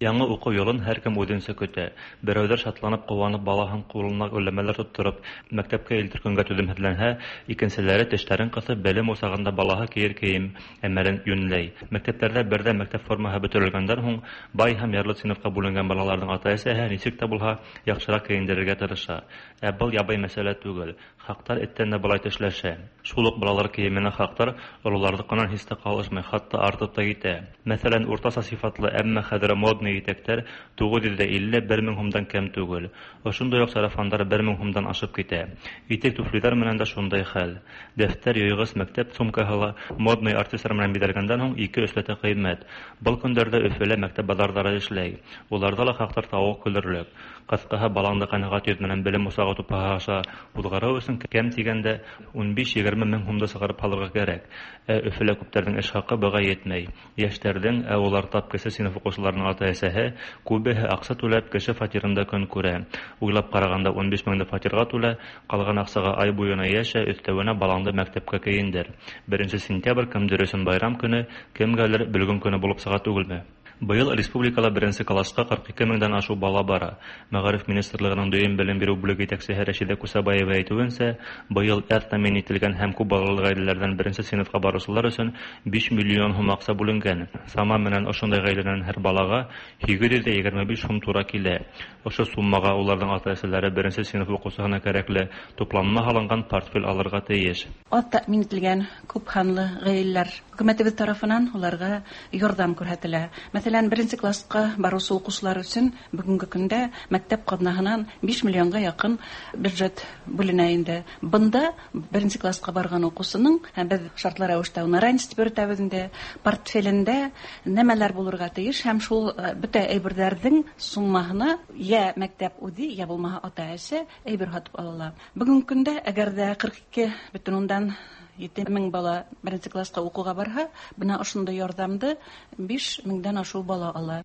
Яңы уку юлын һәркем үзенчә көтә. Берәүләр шатланып, куанып, балаһын кулына гөлләмәләр тоттырып, мәктәпкә илтер көнгә түземһезләнһә, икенселәре тешләрен кысып, белем усагында балаһы киер кием әмәлен юньләй. Мәктәпләрдә бердә мәктәп формаһы бөтерелгәндән һуң, бай һәм ярлы сыйныфка бүленгән балаларның ата-әсәһе ничек тә булһа яхшырак киендерергә тырыша. Ә был ябай мәсьәлә түгел. Хаҡтар эттән дә былай тешләшә. Шул ук балалар киеменә хаҡтар ололарҙыҡынан һис тә ҡалышмай, хатта артып та китә. Мәҫәлән, уртаса сифатлы, әммә хәҙер модный итәктәр туғыҙ йөҙ илле бер мең һумдан кәм түгел. Ошондай уҡ сарафандар бер мең һумдан ашып китә. Итек туфлиҙар менән дә шундай хәл. Дәфтәр, йыйғыс, мәктәп сумкаһы ла модный артистар менән биҙәлгәндән һуң ике өсләтә ҡыйммәт. Был көндәрҙә Өфөлә мәктәп баҙарҙары эшләй. Уларҙа ла хаҡтар тауыҡ көлөрлөк. Ҡыҫҡаһы, балаңды ҡәнәғәт йөҙ менән белем усағы тупаһы аша уҙғарыу өсөн кәм тигәндә ун биш егерме мең һумды сығарып һалырға кәрәк. Ә Өфөлә күптәрҙең эш хаҡы быға етмәй. Йәштәрҙең, ә улар тап кесе синыф уҡыусыларының ата-әсәһе, күбеһе аҡса түләп кеше фатирында көн күрә. Уйлап ҡарағанда ун биш меңде фатирға түлә, ҡалған аҡсаға ай буйына йәшә, өҫтәүенә балаңды мәктәпкә кейендер. Беренсе сентябрь кемдер өсөн байрам көнө, кемгәлер бөлгөн көнө булып сыға түгелме? Быйыл республикала беренсе класска ҡырҡ ике меңдән ашыу бала бара. Мәғариф министрлығының дөйөм белем биреү бүлеге етәксеһе Рәшидә Кусабаева әйтеүенсә, быйыл әҙ тәьмин ителгән һәм күп балалы ғаиләләрҙән беренсе синыфҡа барыусылар өсөн биш миллион һум аҡса бүленгән. Сама менән ошондай ғаиләнән һәр балаға һигеҙ йөҙ егерме биш һум тура килә. Ошо суммаға уларҙың ата-әсәләре беренсе синыф уҡыусыһына кәрәкле тупланма һалынған портфель алырға тейеш. Аҙ тәьмин ителгән күп һанлы ғаиләләр хөкүмәтебеҙ тарафынан уларға ярҙам күрһәтелә. Мәҫәлән, беренсе класска барыусы уҡыусылар өсөн бөгөнгө көндә мәктәп ҡаҙнаһынан биш миллионға яҡын бюджет бүленә инде. Бында беренсе класска барған уҡыусының, беҙ шартлы рәүештә уны ранец тип йөрөтәбеҙ инде, портфелендә нәмәләр булырға тейеш һәм шул бөтә әйберҙәрҙең суммаһына йә мәктәп үҙе, йә булмаһа ата-әсә әйбер һатып ала ала. Бөгөнгө көндә әгәр ҙә ҡырҡ ике бөтөн ундан ете мең бала беренсе класска уҡыуға барһа, бына ошондай ярҙамды биш меңдән ашыу бала ала.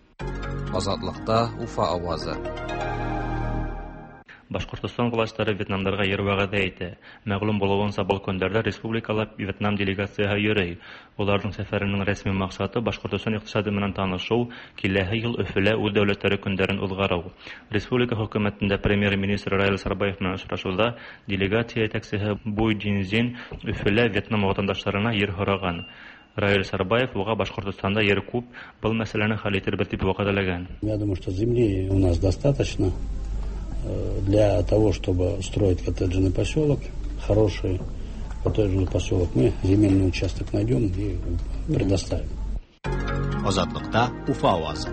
Азатлыҡта Уфа ауазы. Башҡортостан властары Вьетнамдарға ер вәғәҙә итә. Мәғлүм булыуынса, был көндәрҙә республикала Вьетнам делегацияһы йөрөй. Уларҙың сәфәренең рәсми маҡсаты Башҡортостан иҡтисады менән танышыу, киләһе йыл Өфөлә үҙ дәүләттәре көндәрен уҙғарыу. Республика хөкүмәтендә премьер-министр Раил Сарбаев менән осрашыуҙа делегация етәксеһе Буй Джинзин Өфөлә Вьетнам ватандаштарына ер һораған. Раил Сарбаев уға Башҡортостанда ер күп, был мәсьәләне хәл итербеҙ тип вәғәҙәләгән. Я думаю, что земли у нас достаточно. Для того, чтобы строить коттеджный поселок, хороший коттеджный поселок, мы земельный участок найдем и предоставим. Азатлыкта Уфа авазы.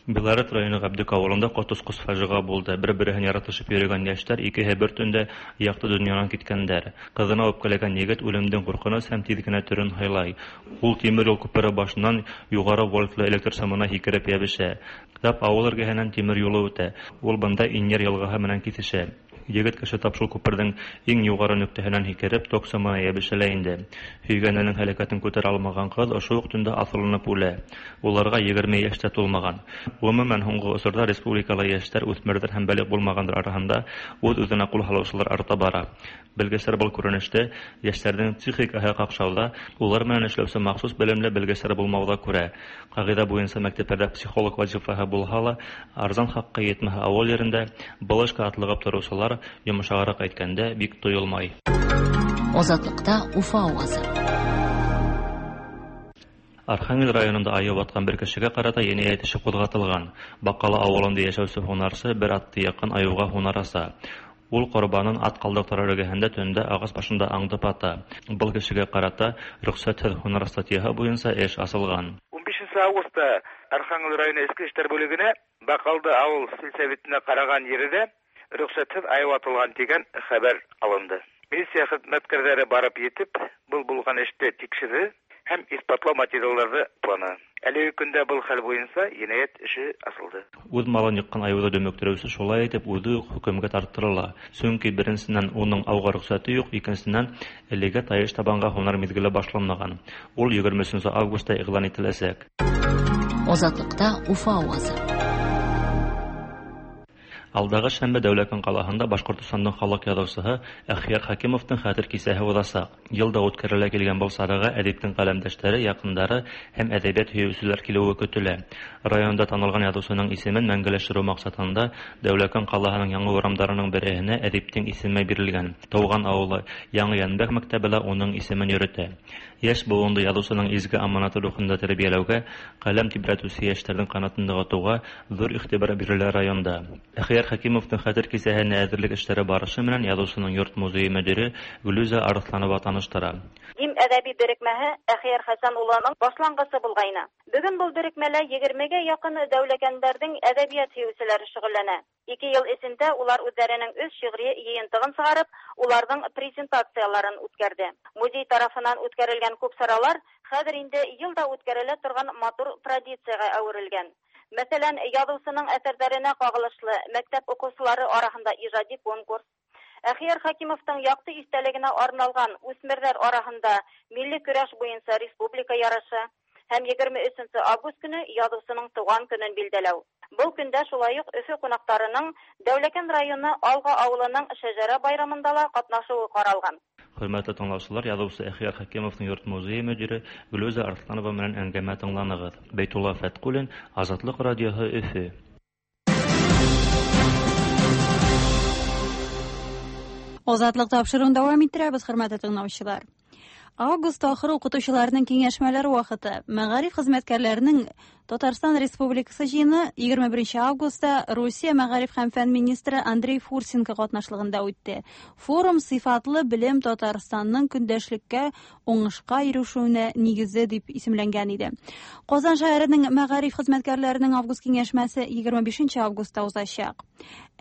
Белорет районы Габдык авылында коточкыч фаҗига булды. Бер-береһен яратышып йөргән яшьләр икеһе бер төндә якты дөньядан киткәннәр. Кызына үпкәләгән егет үлемдән куркыныч һәм тиз генә төрен һайлай. Ул тимер юл күпере башыннан югары вольтлы электр сымына һикереп ябышә. Тап авыл эргәһеннән тимер юлы үтә. Ул бында Иньер елгаһы менән кисешә. Егет кеше тап шул күпердең иң югары нөктәһеннән һикереп ток сымына ябышә инде. Һөйгәненең һәлакәтен күтәрә алмаган кыз ошо ук төндә асылынып үлә. Уларга егерме яшь тә тулмаган. Гомумән, һуңгы осорда республикала яшьләр, үҫмерҙәр һәм бәлиғ булмағандар араһында үҙ-үҙенә ҡул һалыусылар арта бара. Белгестәр был күренеште йәштәрҙең психикаһы ҡаҡшауҙа, улар менән эшләүсе махсус белемле белгестәр булмауҙа күрә. Ҡағиҙә буйынса мәктәптәрҙә психолог вазифаһы булһа ла, арзан хаҡҡа етмәһә ауыл ерендә был эшкә атлығып тороусылар, йомшағыраҡ әйткәндә, бик тойолмай. Азатлыкта Уфа авазы. Архангел районында айыу батҡан бер кешегә ҡарата енәйәт эше ҡуҙғатылған. Баҡалы ауылында йәшәүсе һунарсы бер атты яҡын айыуға һунар аса. Ул ҡорбанын ат ҡалдыҡтары эргәһендә төндә ағас башында аңдып ата. Был кешегә ҡарата рөхсәтһеҙ һунар статьяһы буйынса эш асылған. ун бишенсе августта Архангел районы Эске эштәр бүлегенә Баҡалды ауыл сельсоветына ҡараған ерҙә рөхсәтһеҙ айыу атылған тигән хәбәр алынды. Милиция хеҙмәткәрҙәре барып етеп, был булған эште тикшерҙе һәм иҫбатлау материалдарҙы тупланы. Әлеге көндә был хәл буйынса енәйәт эше асылды. Үҙ малын йыҡҡан айыуҙы дөмөктөрөүсе шулай итеп үҙе үк хөкөмгә тарттырыла. Сөнки беренсенән уның ауға рөхсәте юҡ, икенсенән әлегә тайыш табанға һунар миҙгеле башланмаған. Ул егерме өсөнсө августта иғлан ителәсәк. Азатлыкта Уфа авазы. Алдағы шәмбе Дәүләкән ҡалаһында Башҡортостандың халыҡ яҙыусыһы Әхйәр Хәкимовтың хәтер кисәһе уҙасаҡ. Йылда үткәрелә килгән был сараға әҙиптең ҡәләмдәштәре, яҡындары һәм әҙәбиәт һөйөүселәр килеүе көтөлә. Районда танылған яҙыусының исемен мәңгеләштереү маҡсатында Дәүләкән ҡалаһының яңы урамдарының береһенә әҙиптең исеме бирелгән. Тыуған ауылы Яңы Йәнбәк мәктәбе лә уның исемен йөрөтә. Йәш быуынды яҙыусының изге аманаты рухында тәрбиәләүгә, ҡәләм тибрәтеүсе йәштәрҙең ҡанатын нығытыуға ҙур иғтибар бирелә районда. Әхйәр Хәкимовтың хәтер кисәһенә әҙерлек эштәре барышы менән яҙыусының йорт музейы мөдире Гөлүзә Арыҫланова таныштыра. Дим әҙәби берекмәһе Әхйәр Хәсән улының башланғысы булғайны. Бөгөн был берекмәлә егермегә яҡын дәүләкәндәрҙең әҙәбиәт һөйөүселәре шөғөлләнә. Ике йыл эсендә улар үҙҙәренең өс шиғри йыйынтығын сығарып, уларҙың презентацияларын үткәрҙе. Музей тарафынан үткәрелгән күп саралар хәҙер инде йыл да үткәрелә торған матур традицияға әүерелгән. Мәҫәлән, яҙыусының әҫәрҙәренә ҡағылышлы мәктәп уҡыусылары араһында ижади конкурс, Әхйәр Хәкимовтың яҡты иҫтәлегенә арналған үҫмерҙәр араһында милли көрәш буйынса республика ярышы һәм егерме өсөнсө август көнө яҙыусының тыуған көнөн билдәләү. Был көндә шулай уҡ Өфө ҡунаҡтарының Дәүләкән районы Алға ауылының шәжәрә байрамында ла ҡатнашыуы ҡаралған. Хөрмәтле тыңлаусылар, яҙыусы Әхйәр Хәкимовтың йорт музейы мөдире Гөлүзә Арыҫланова менән әңгәмә тыңланығыҙ. Бәйтулла Фәтҡуллин, Азатлыҡ радиоһы, Өфө. Азатлыҡ тапшырыуын дауам иттерәбеҙ, хөрмәтле тыңлаусылар. Август ахыры уҡытыусыларының кәңәшмәләре ваҡыты. Мәғариф хеҙмәткәрҙәренең Татарстан Республикасы йыйыны егерме беренсе августта Русия мәғариф һәм фән министры Андрей Фурсенко ҡатнашлығында үтте. Форум сифатлы белем Татарстанның көндәшлеккә уңышҡа ирешеүенә нигезе дип исемләнгән иде. Ҡазан шәһәренең мәғариф хеҙмәткәрҙәренең август кәңәшмәсе егерме бишенсе августта узасаҡ.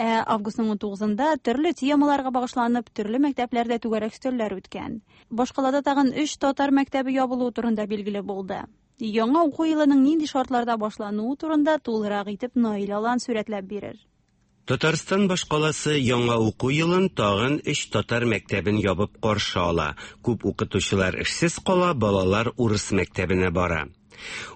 Ә августның ун туғыҙында төрлө темаларға бағышланып, төрлө мәктәпләрҙә түгәрәк өҫтәлләр үткән. Башҡалада тағын өс татар мәктәбе ябылыуы турында билгеле булды. Яңа уҡыу йылының нинди шартларда башланыуы турында тулыраҡ итеп Наил Алан сүрәтләп бирер. Татарстан башҡаласы яңа уҡыу йылын тағын өс татар мәктәбен ябып ҡаршы ала. Күп уҡытыусылар эшсеҙ ҡала, балалар урыҫ мәктәбенә бара.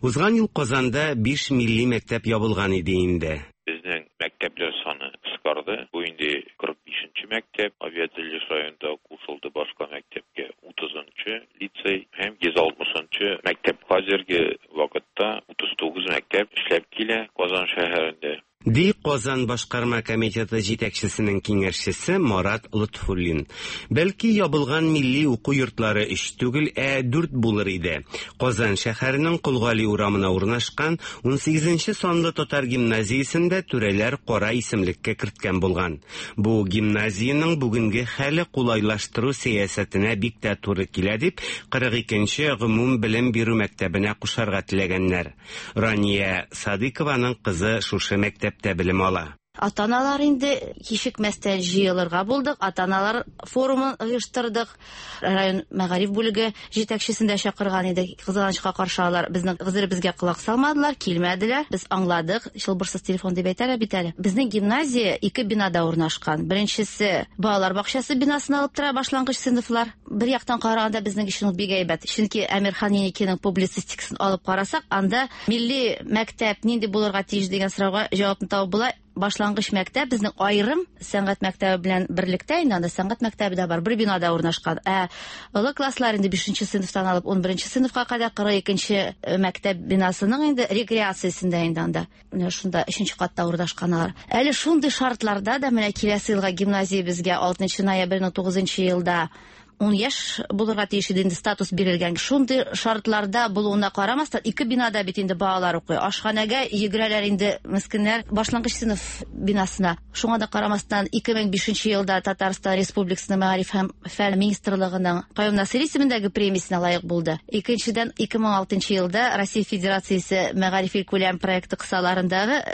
Уҙған йыл Ҡазанда биш милли мәктәп ябылған иде инде. Беҙҙең мәктәпләр саны ҡыҫҡарҙы. Бу инде ҡырҡ бишенсе мәктәп, авиатөҙөлөш районында ҡушылды башҡа мәктәпкә утыҙынсы лицей һәм йөҙ алтмышынсы мәктәп. Хәҙерге ваҡытта утыҙ туғыҙ мәктәп эшләп килә Ҡазан шәһәрендә. Ди Казан башкарма комитеты җитәкчесенең киңәшчесе Марат Лотфуллин. Бәлки ябылган милли уку йортлары өч түгел, ә дүрт булыр иде. Казан шәһәренең Кол Гали урамына урнашкан унсигезенче санлы татар гимназиясендә түрәләр кара исемлеккә керткән булган. Бу гимназиянең бүгенге хәле кулайлаштыру сәясәтенә бик тә туры килә дип, кырык икенче гомум белем бирү мәктәбенә кушарга теләгәннәр. Рания Садыкованың кызы шушы мәктәптә белем ала. Ата-аналар инде кичекмәстән җыелырга булдык. Ата-аналар форумын оештырдык. Район мәгариф бүлеге җитәкчесен дә чакырган идек. Кызганычка каршы алар безнең гозеребезгә колак салмадылар, килмәделәр. Без аңладык. Чылбырсыз телефон дип әйтәләр бит әле. Безнең гимназия ике бинада урнашкан. Беренчесе балалар бакчасы бинасын алып тора башлангыч сыйныфлар. Бер яктан караганда безнең өчен ул бик әйбәт. Чөнки Әмирхан Еникинең публицистикасын алып карасак, анда милли мәктәп нинди булырга тиеш дигән сорауга җавапны табып була. Башлангыч мәктәп безнең аерым сәнгать мәктәбе белән берлектә, инде анда сәнгать мәктәбе дә бар, бер бинада урнашкан. Ә олы класслар инде бишенче сыйныфтан алып ун беренче сыйныфка кадәр кырык икенче мәктәп бинасының инде рекреациясендә инде анда. Менә шунда өченче катта урнашкан алар. Әле шундый шартларда да менә киләсе елга гимназия безгә алтынчы ноябрьнең тугызынчы елда ун яшь булырга тиеш иде, инде статус бирелгән. Шундый шартларда булуына карамастан, ике бинада бит инде балалар укый. Ашханәгә йөгерәләр инде мескеннәр башлангыч сыйныф бинасына. Шуңа да карамастан, ике мең бишенче елда Татарстан Республикасының Мәгариф һәм фән министрлыгының Каюм Насыйри исемендәге премиясенә лаек булды. Икенчедән, ике мең алтынчы елда Россия Федерациясе Мәгариф илкүләм проекты кысаларындагы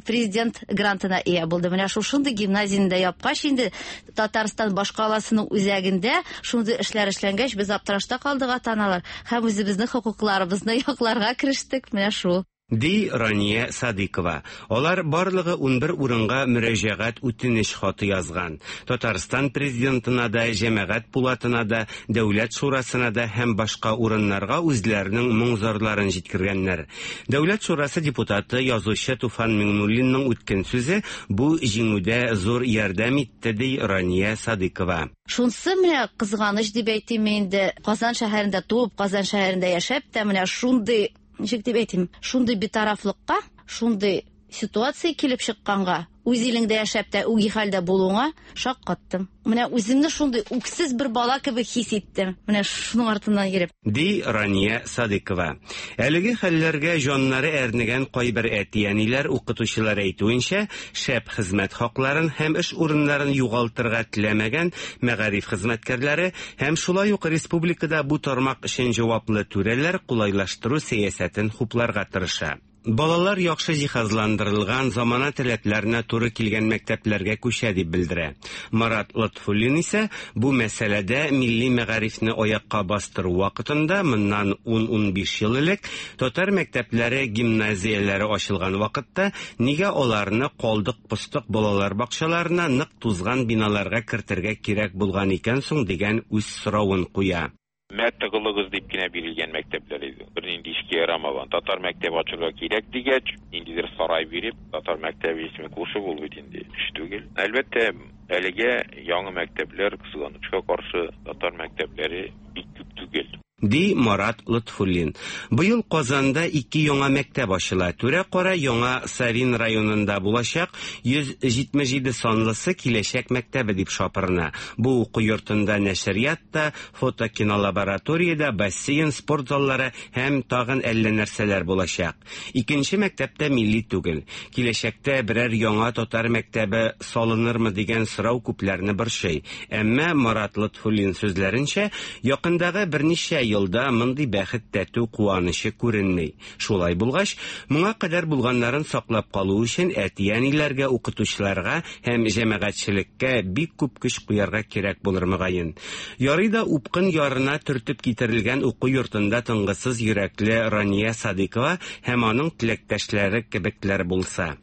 президент грантына ия булды. Менә шушындый гимназияне дә япкач инде Татарстан башкаласының үзәгендә шундый эшләр эшләнгәч, без аптырашта калдык ата-аналар һәм үзебезнең хокукларыбызны якларга керештек. Менә шул. Ди Рания Садыкова. Алар барлыгы унбер урынга мөрәҗәгать үтенеч хаты язган. Татарстан президентына да, җәмәгать пулатына да, Дәүләт шурасына да һәм башка урыннарга үзләренең моң-зарларын җиткергәннәр. Дәүләт шурасы депутаты язучы Туфан Миңнуллинның үткән сүзе бу җиңүдә зур ярдәм итте, ди Рания Садыкова. Шунсы менә кызганыч дип әйтим инде, Казан шәһәрендә туып, Казан шәһәрендә яшәп тә менә шундый, ничек дип әйтим, шундый битарафлыкка, шундый ситуация килеп чыкканга, үз илеңдә яшәп тә үги хәлдә булуыңа шаккаттым. Менә үземне шундый үксез бер бала кебек хис иттем. Менә шуның артыннан йөреп. Ди Рания Садыкова. Әлеге хәлләргә җаннары әрнегән кайбер әти-әниләр укытучылар әйтүенчә, шәп хезмәт хакларын һәм эш урыннарын югалтырга теләмәгән мәгариф хезмәткәрләре һәм шулай ук республикада бу тармак өчен җаваплы түрәләр кулайлаштыру сәясәтен хупларга тырыша. Балалар яхшы җиһазландырылган замана таләпләренә туры килгән мәктәпләргә күчә дип белдерә. Марат Лотфуллин исә бу мәсьәләдә милли мәгарифне аякка бастыру вакытында моннан ун-унбиш ел элек татар мәктәпләре гимназияләре ачылган вакытта нигә аларны калдык-постык балалар бакчаларына нык тузган биналарга кертергә кирәк булган икән соң дигән үз соравын куя. Мә тыгылыгыз дип кенә бирелгән мәктәпләр иде. Бернинди эшкә ярамаган. Татар мәктәбе ачырга кирәк дигәч, ниндидер сарай биреп, татар мәктәбе исеме кушып ул бит инде эш түгел. Әлбәттә, әлегә яңа мәктәпләр, кызганычка каршы, татар мәктәпләре бик күп түгел. Ди Марат Лотфуллин. Быел Казанда ике яңа мәктәп ачыла. Түрә-кара яңа Савин районында булачак йөз җитмеш җиде санлысы киләчәк мәктәбе дип шапырына. Бу уку йортында нәшрият та, фотокинолабораториядә, бассейн, спорт заллары һәм тагын әллә нәрсәләр булачак. Икенче мәктәптә милли түгел. Киләчәктә берәр яңа татар мәктәбе салынырмы дигән сорау күпләрне борчый. Әмма Марат Лотфуллин сүзләренчә, якындагы берничә елда мондый бәхет тәтү куанычы күренми. Шулай булгач, моңа кадәр булганнарын саклап калу өчен әти-әниләргә, укытучыларга һәм җәмәгатьчелеккә бик күп көч куярга кирәк булыр мөгаен. Ярый да упкын ярына төртеп китерелгән уку йортында тынгысыз йөрәкле Рания Садыкова һәм аның теләктәшләре кебекләр булса.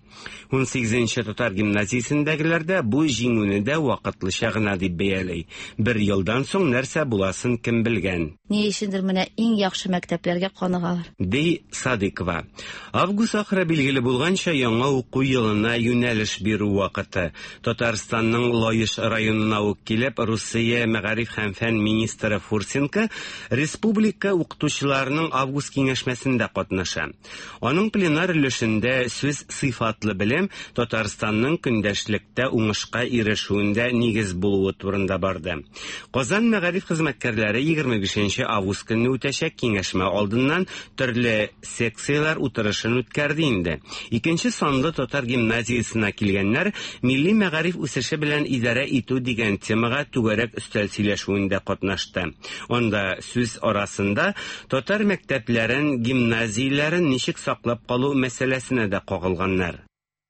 Унсигезенче татар гимназиясендәгеләр дә бу җиңүне дә вакытлыча гына дип бәяли. Бер елдан соң нәрсә буласын кем белгән. Ни өчендер менә иң яхшы мәктәпләргә каныгалар. Ди Садыкова. Август ахыры билгеле булганча яңа уку елына юнәлеш бирү вакыты. Татарстанның Лаеш районына ук килеп, Русия мәгариф һәм фән министры Фурсенко республика укытучыларының август киңәшмәсендә катнаша. Аның пленар өлешендә сүз сыйфатлы сыйфатлы белем Татарстанның көндәшлектә уңышка ирешүендә нигез булуы турында барды. Казан мәгариф хезмәткәрләре егерме бишенче август көнне үтәчәк киңәшмә алдыннан төрле секцияләр утырышын үткәрде инде. Икенче санлы татар гимназиясенә килгәннәр милли мәгариф үсеше белән идарә итү дигән темага түгәрәк өстәл сөйләшүендә катнашты. Анда сүз арасында татар мәктәпләрен, гимназияләрен ничек саклап калу мәсьәләсенә дә кагылганнар.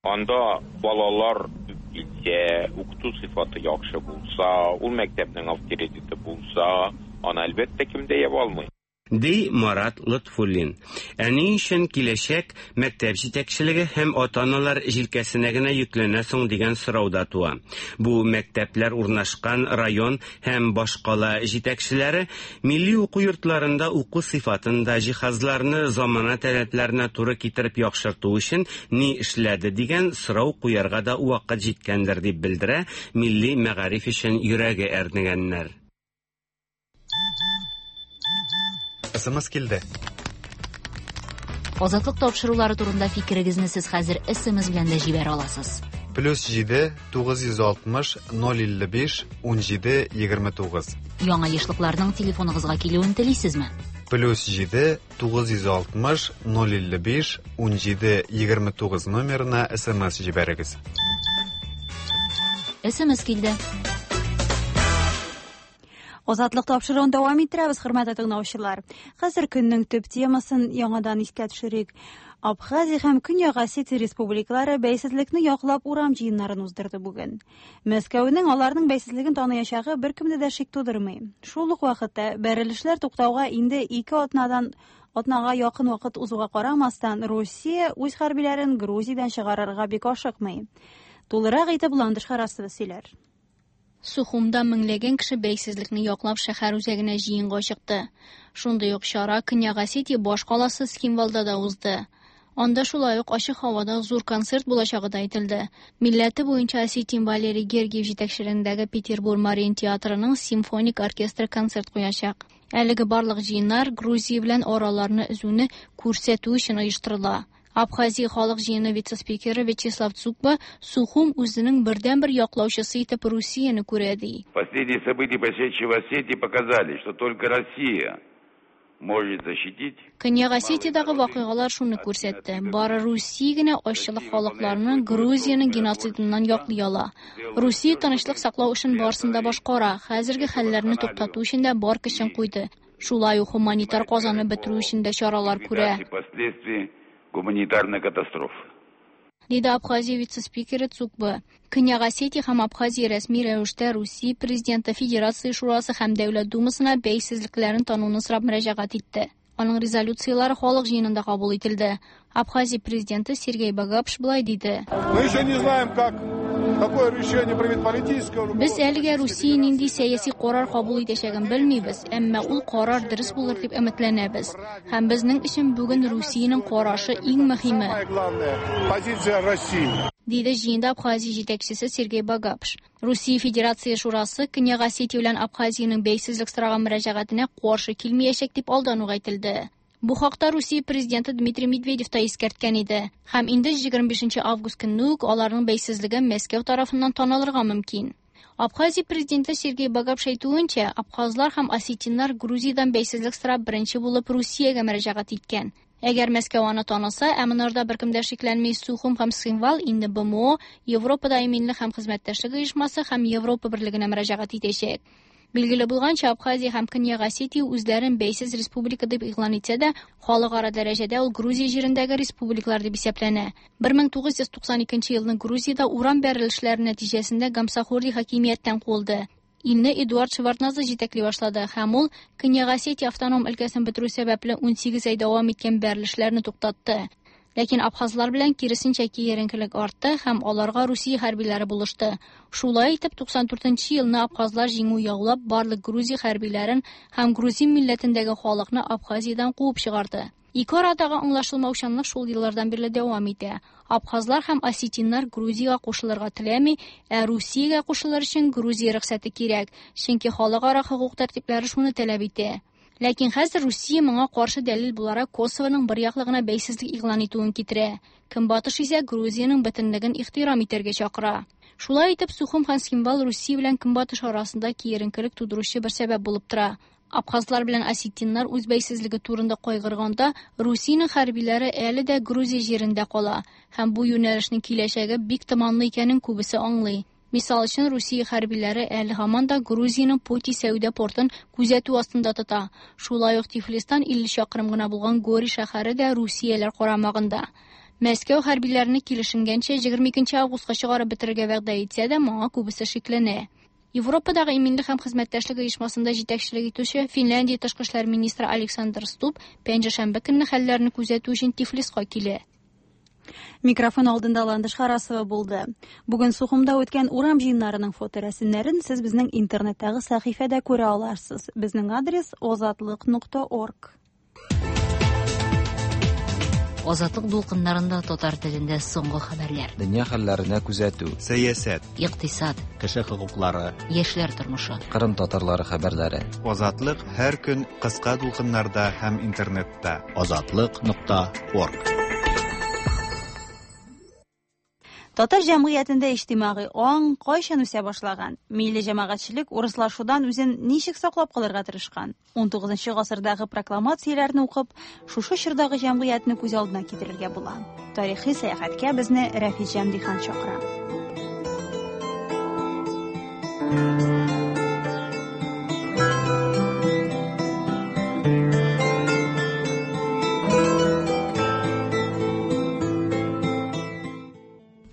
Анда балалар килсә, укыту сыйфаты яхшы булса, ул мәктәпнең авторитеты булса, аны әлбәттә кем дә яба алмый. Ди Марат Лотфуллин. Ә ни өчен киләчәк мәктәп җитәкчелеге һәм ата-аналар җилкәсенә генә йөкләнә соң дигән сорау да туа. Бу мәктәпләр урнашкан район һәм башкала җитәкчеләре милли уку йортларында уку сыйфатын да җиһазларны замана таләпләренә туры китереп яхшырту өчен ни эшләде дигән сорау куярга да вакыт җиткәндер дип белдерә милли мәгариф өчен йөрәге әрнегәннәр. СМС килде. Азатлык тапшырулары турында фикерегезне сез хәзер СМС белән дә җибәрә аласыз. Плюс җиде тугыз йөз алтмыш ноль илле биш ун җиде егерме тугыз. Яңа ешлыкларның телефоныгызга килүен телисезме? Плюс җиде тугыз йөз алтмыш ноль илле биш ун җиде егерме тугыз номерына СМС җибәрегез. СМС килде. Азатлык тапшыруын дәвам иттерәбез, хөрмәтле тыңлаучылар. Хәзер көннең төп темасын яңадан искә төшерик. Абхазия һәм Көньяк Осетия республикалары бәйсезлекне яклап урам җыеннарын уздырды бүген. Мәскәүнең аларның бәйсезлеген таныячагы беркемдә дә шик тудырмый. Шул ук вакытта бәрелешләр туктауга инде ике атнадан атнага якын вакыт узуга карамастан, Русия үз хәрбиләрен Грузиядән чыгарырга бик ашыкмый. Тулырак итеп Ландыш Харасова сөйләр. Сухумда меңләгән кеше бәйсезлекне яклап шәһәр үзәгенә җыенга чыкты. Шундый ук чара Көньяк Осетия баш каласы Цхинвалда да узды. Анда шулай ук ачык һавада зур концерт булачагы да әйтелде. Милләте буенча осетин Валерий Гергиев җитәкчелегендәге Петербург Мариин театрының симфоник оркестры концерт куячак. Әлеге барлык җыеннар Грузия белән араларны өзүне күрсәтү өчен оештырыла. Абхазия халык җыены вице-спикеры Вячеслав Цукба Сухум үзенең бердәнбер яклаучысы итеп Русияне күрә ди. Последние события, происшедшие в Осетии, показали, что только Россия может защитить. Көньяк Осетиядагы вакыйгалар шуны күрсәтте. Бары Русия генә азчылык халыкларны Грузиянең геноцидыннан яклый ала. Русия тынычлык саклау эшен барысын да башкара, хәзерге хәлләрне туктату өчен дә бар көчен куйды. Шулай ук гуманитар казаны бетерү өчен дә чаралар күрә. Гуманитарная катастрофа. Диде Абхазия вице-спикеры Цукба. Көньяк Осетия һәм Абхазия рәсми рәвештә Русия президенты Федерация Шурасы һәм Дәүләт Думасына бәйсезлекләрен тануны сорап мөрәҗәгать итте. Аның резолюциялары халык җыенында кабул ителде. Абхазия президенты Сергей Багапш былай диде. Мы еще не знаем, как какое решение примет политическое руководство. Без әлегә Русия нинди сәяси карар кабул итәчәген белмибез, әмма ул карар дөрес булыр дип өметләнәбез. Һәм безнең өчен бүген Русиянең карашы иң мөһиме. Позиция России. Диде җыенда Абхазия җитәкчесе Сергей Багапш. Русия Федерация Шурасы Көньяк Осетия белән Абхазиянең бәйсезлек сораган мөрәҗәгатенә каршы килмәячәк дип алдан ук әйтелде. Бу хакта Русия президенты Дмитрий Медведев та искәрткән иде. Һәм инде егерме бишенче август көнне үк аларның бәйсезлеге Мәскәү тарафыннан танылырга мөмкин. Абхазия президенты Сергей Багапш әйтүенчә, абхазлар һәм осетиннар Грузиядән бәйсезлек сорап беренче булып Русиягә мөрәҗәгать иткән. Әгәр Мәскәү аны таныса, ә монарда беркем дә шикләнми, Сухум һәм Цхинвал инде БМО, Европада иминлек һәм хезмәттәшлек оешмасы һәм Европа берлегенә мөрәҗәгать итәчәк. Билгеле булганча, Абхазия һәм Көньяк Осетия үзләрен бәйсез республика дип игълан итсә дә, халыкара дәрәҗәдә ул Грузия җирендәге республикалар дип исәпләнә. бер мең тугыз йөз туксан икенче елны Грузиядә урам бәрелешләре нәтиҗәсендә Гамсахурди хакимияттән куылды. Илне Эдуард Шеварднадзе җитәкли башлады һәм ул Көньяк Осетия автоном өлкәсен бетерү сәбәпле ун сигез ай дәвам иткән бәрелешләрне туктатты. Ләкин абхазлар белән киресенчә киеренкелек артты һәм аларга Русия хәрбиләре булышты. Шулай итеп туксан дүртенче елны абхазлар җиңү яулап барлык Грузия хәрбиләрен һәм грузин милләтендәге халыкны Абхазиядән куып чыгарды. Ике арадагы аңлашылмаучанлык шул еллардан бирле дәвам итә. Абхазлар һәм осетиннар Грузиягә кушылырга теләми, ә Русиягә кушылыр өчен Грузия рөхсәте кирәк, чөнки халыкара хокук тәртипләре шуны таләп итә. Ләкин хәзер Русия моңа каршы дәлил буларак Косовоның бер яклы гына бәйсезлек игълан итүен китерә. Көнбатыш исә Грузиянең бөтенлеген ихтирам итәргә чакыра. Шулай итеп, Сухум һәм Цхинвал Русия белән Көнбатыш арасында киеренкелек тудыручы бер сәбәп булып тора. Абхазлар белән осетиннар үз бәйсезлеге турында кайгырганда, Русиянең хәрбиләре әле дә Грузия җирендә кала һәм бу юнәлешнең киләчәге бик томанлы икәнен күбесе аңлый. Мисал өчен, Русия хәрбиләре әле һаман да Грузиянең Поти сәүдә портын күзәтү астында тота. Шулай ук Тифлистан илле чакрым гына булган Гори шәһәре дә Русияләр карамагында. Мәскәү хәрбиләрне килешенгәнчә егерме икенче августка чыгарып бетерергә вәгъдә итсә дә, моңа күбесе шикләнә. Европадагы иминлек һәм хезмәттәшлек оешмасында җитәкчелек итүче Финляндия тышкы эшләр министры Александр Стуб пәнҗешәмбе көнне хәлләрне күзәтү өчен Тифлиска килә. Микрофон алдында Ландыш Харасова булды. Бүген Сухумда үткән урам җыеннарының фоторәсемнәрен сез безнең интернеттагы сәхифәдә күрә аларсыз. Безнең адрес озатлык нокта орг. Азатлык дулкыннарында татар телендә соңгы хәбәрләр. Дөнья хәлләренә күзәтү, сәясәт, икътисад, кеше хокуклары, яшьләр тормышы, Кырым татарлары хәбәрләре. Азатлык һәр көн кыска дулкыннарда һәм интернетта. Азатлык нокта орг. Татар җәмгыятендә иҗтимагый аң кайчан үсә башлаган? Милли җәмәгатьчелек урыслашудан үзен ничек саклап калырга тырышкан? унтугызынчы гасырдагы прокламацияләрне укып, шушы чордагы җәмгыятьне күз алдына китерергә була. Тарихи сәяхәткә безне Рәфит Җәмдихан чакыра.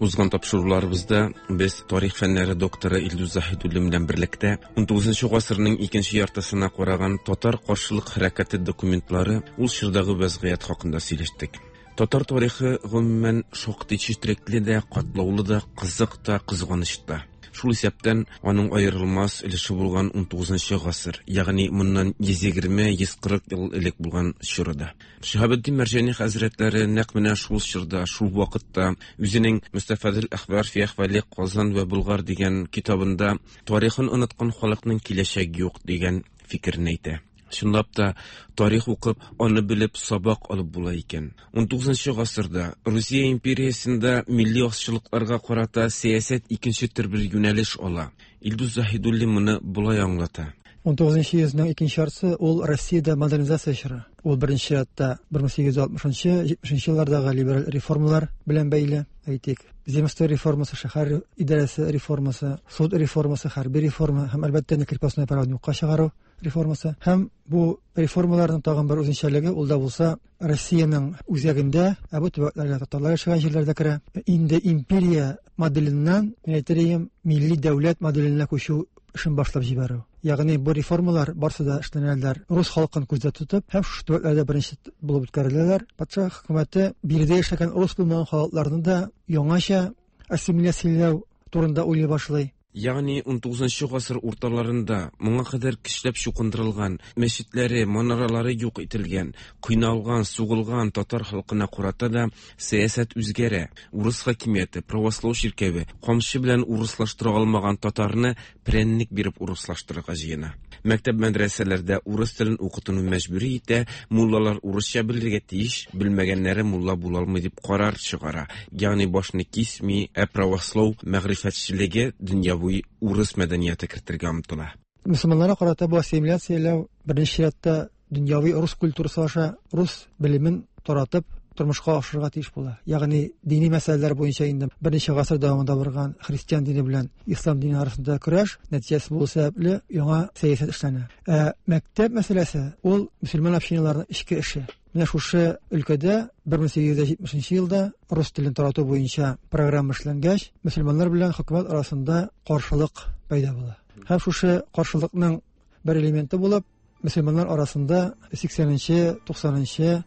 Узган тапшыруларыбызда без тарих фәннәре докторы Илдус Заһидуллин белән берлектә унтугызынчы гасырның икенче яртысына караган татар каршылык хәрәкәте документлары ул чордагы вазгыять хакында сөйләштек. Татар тарихы гомумән шактый четерекле дә, катлаулы да, кызык та, кызганыч та. Шул исәптән аның аерылмас өлеше булган унтугызынчы гасыр, ягъни моннан йөз егерме йөз кырык ел элек булган чорда. Шиһабетдин Мәрҗани хәзрәтләре нәкъ менә шул чорда, шул вакытта үзенең Мустафадул әхбар фи әхвали Казан вә Болгар дигән китабында тарихын оныткан халыкның киләчәге юк дигән фикерен әйтә. Чынлап та тарих укып, аны белеп сабак алып була икән. унтугызынчы гасырда Русия империясендә милли азчылыкларга карата сәясәт икенче төр бер юнәлеш ала. Илдус Заһидуллин моны болай аңлата. унтугызынчы йөзнең икенче яртысы ул Россиядә модернизация чоры. Ул беренче чиратта бер мең сигез йөз алтмышынчы, җитмешенче еллардагы либераль реформалар белән бәйле. Әйтик, земство реформасы, шәһәр идарәсе реформасы, суд реформасы, хәрби реформа һәм әлбәттә крепостное правоны юкка чыгару реформасы. Һәм бу реформаларның тагын бер үзенчәлеге ул да булса Россиянең үзәгендә, ә бу төбәкләргә татарлар яшәгән җирләрдә керә. Инде империя моделеннән, мин әйтер идем, милли дәүләт моделенә күчү эшен башлап җибәрү. Ягъни бу реформалар барсы да эшләнәләр рус халкын күздә тотып һәм шушы төбәкләрдә беренче булып үткәреләләр. Патша хөкүмәте биредә яшәгән рус булмаган халыкларны да яңача ассимиляцияләү турында уйлый башлый. Ягъни унтугызынчы гасыр урталарында моңа кадәр көчләп чукындырылган, мәчетләре, манаралары юк ителгән, кыйналган, сугылган татар халкына карата да сәясәт үзгәрә. Урыс хакимияте, правослау чиркәве камчы белән урыслаштыра алмаган татарны прәннек биреп урыслаштырырга җыена. Мәктәп мәдрәсәләрдә урыс телен укытуны мәҗбүри итә, муллалар урысча белергә тиеш, белмәгәннәре мулла була алмый дип карар чыгара. Ягъни башны кисми, ә правослау мәгърифәтчелеге дөньяви урыс мәдәнияте кертергә омтыла. Мөселманнарга карата бу ассимиляцияләү беренче чиратта дөньяви рус культурасы аша рус белемен таратып тормышка ашырырга тиеш була. Ягъни дини мәсьәләләр буенча инде берничә гасыр дәвамында барган христиан дине белән ислам дине арасында көрәш нәтиҗәсе булу сәбәпле яңа сәясәт эшләнә. Ә мәктәп мәсьәләсе ул мөселман общиналарының эчке эше. Менә шушы өлкәдә бер мең сигез йөз җитмешенче елда рус телен тарату буенча программа эшләнгәч, мөселманнар белән хөкүмәт арасында каршылык пәйда була. Һәм шушы каршылыкның бер элементы булып, мөселманнар арасында сиксәненче, туксанынчы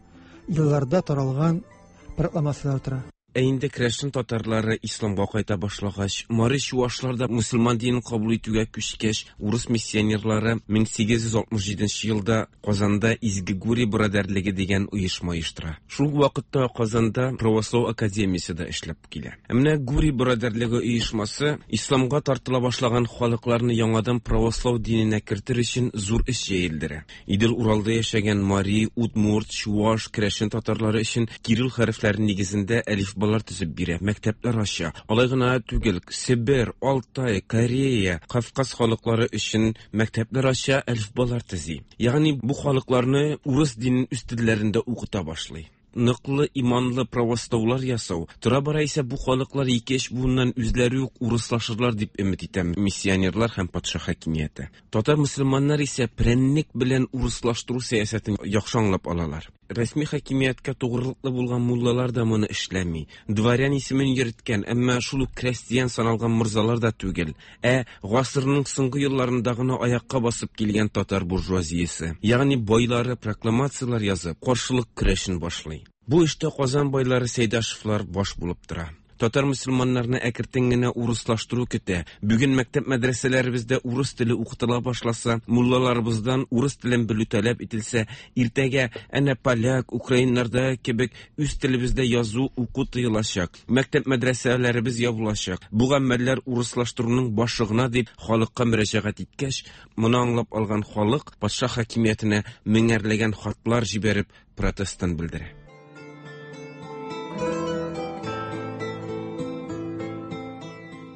елларда таралган прокламациялар тора. Ә инде керәшен татарлары исламга кайта башлагач, мари чуашлар да мөселман динен кабул итүгә күчкәч, урыс миссионерлары мең сигез йөз алтмыш җиденче елда Казанда Изге Гурий борадәрлеге дигән оешма оештыра. Шул вакытта Казанда православ академиясе дә эшләп килә. Ә менә Гурий борадәрлеге оешмасы исламга тартыла башлаган халыкларны яңадан православ диненә кертер өчен зур эш җәелдерә. Идел Уралда яшәгән мари, удмурт, чуаш, керәшен татарлары өчен кирилл хәрефләре нигезендә әлифбалар төзеп бирә, мәктәпләр ача. Алай гына түгел, Себер, Алтай, Корея, Кавказ халыклары өчен мәктәпләр ача, әлифбалар төзи. Ягъни бу халыкларны урыс динен үз телләрендә укыта башлый. Ныклы иманлы православлар ясау. Тора-бара исә бу халыклар ике-өч буыннан үзләре үк урыслашырлар дип өмет итә миссионерлар һәм патша хакимияте. Татар мөселманнар исә прәннек белән урыслаштыру сәясәтен яхшы аңлап алалар. Рәсми хакимияткә тугрылыклы булган муллалар да моны эшләми. Дворян исемен йөрткән, әмма шул ук крестьян саналган морзалар да түгел, ә гасырның соңгы елларында гына аякка басып килгән татар буржуазиясе, ягъни байлары прокламациялар язып, каршылык көрәшен башлый. Бу эштә Казан байлары Сәйдәшевлар баш булып тора. Татар мөселманнарны әкертен генә урыслаштыру көтә. Бүген мәктәп мәдрәсәләребездә урыс теле укытыла башласа, муллаларыбыздан урыс телен белү таләп ителсә, иртәгә әнә поляк, украиннарда кебек үз телебездә язу, уку тыелачак. Мәктәп мәдрәсәләребез ябылачак. Бу гамәлләр урыслаштыруның башы гына дип халыкка мөрәҗәгать иткәч, моны аңлап алган халык патша хакимиятенә меңәрләгән хатлар җибәреп протестын белдерә.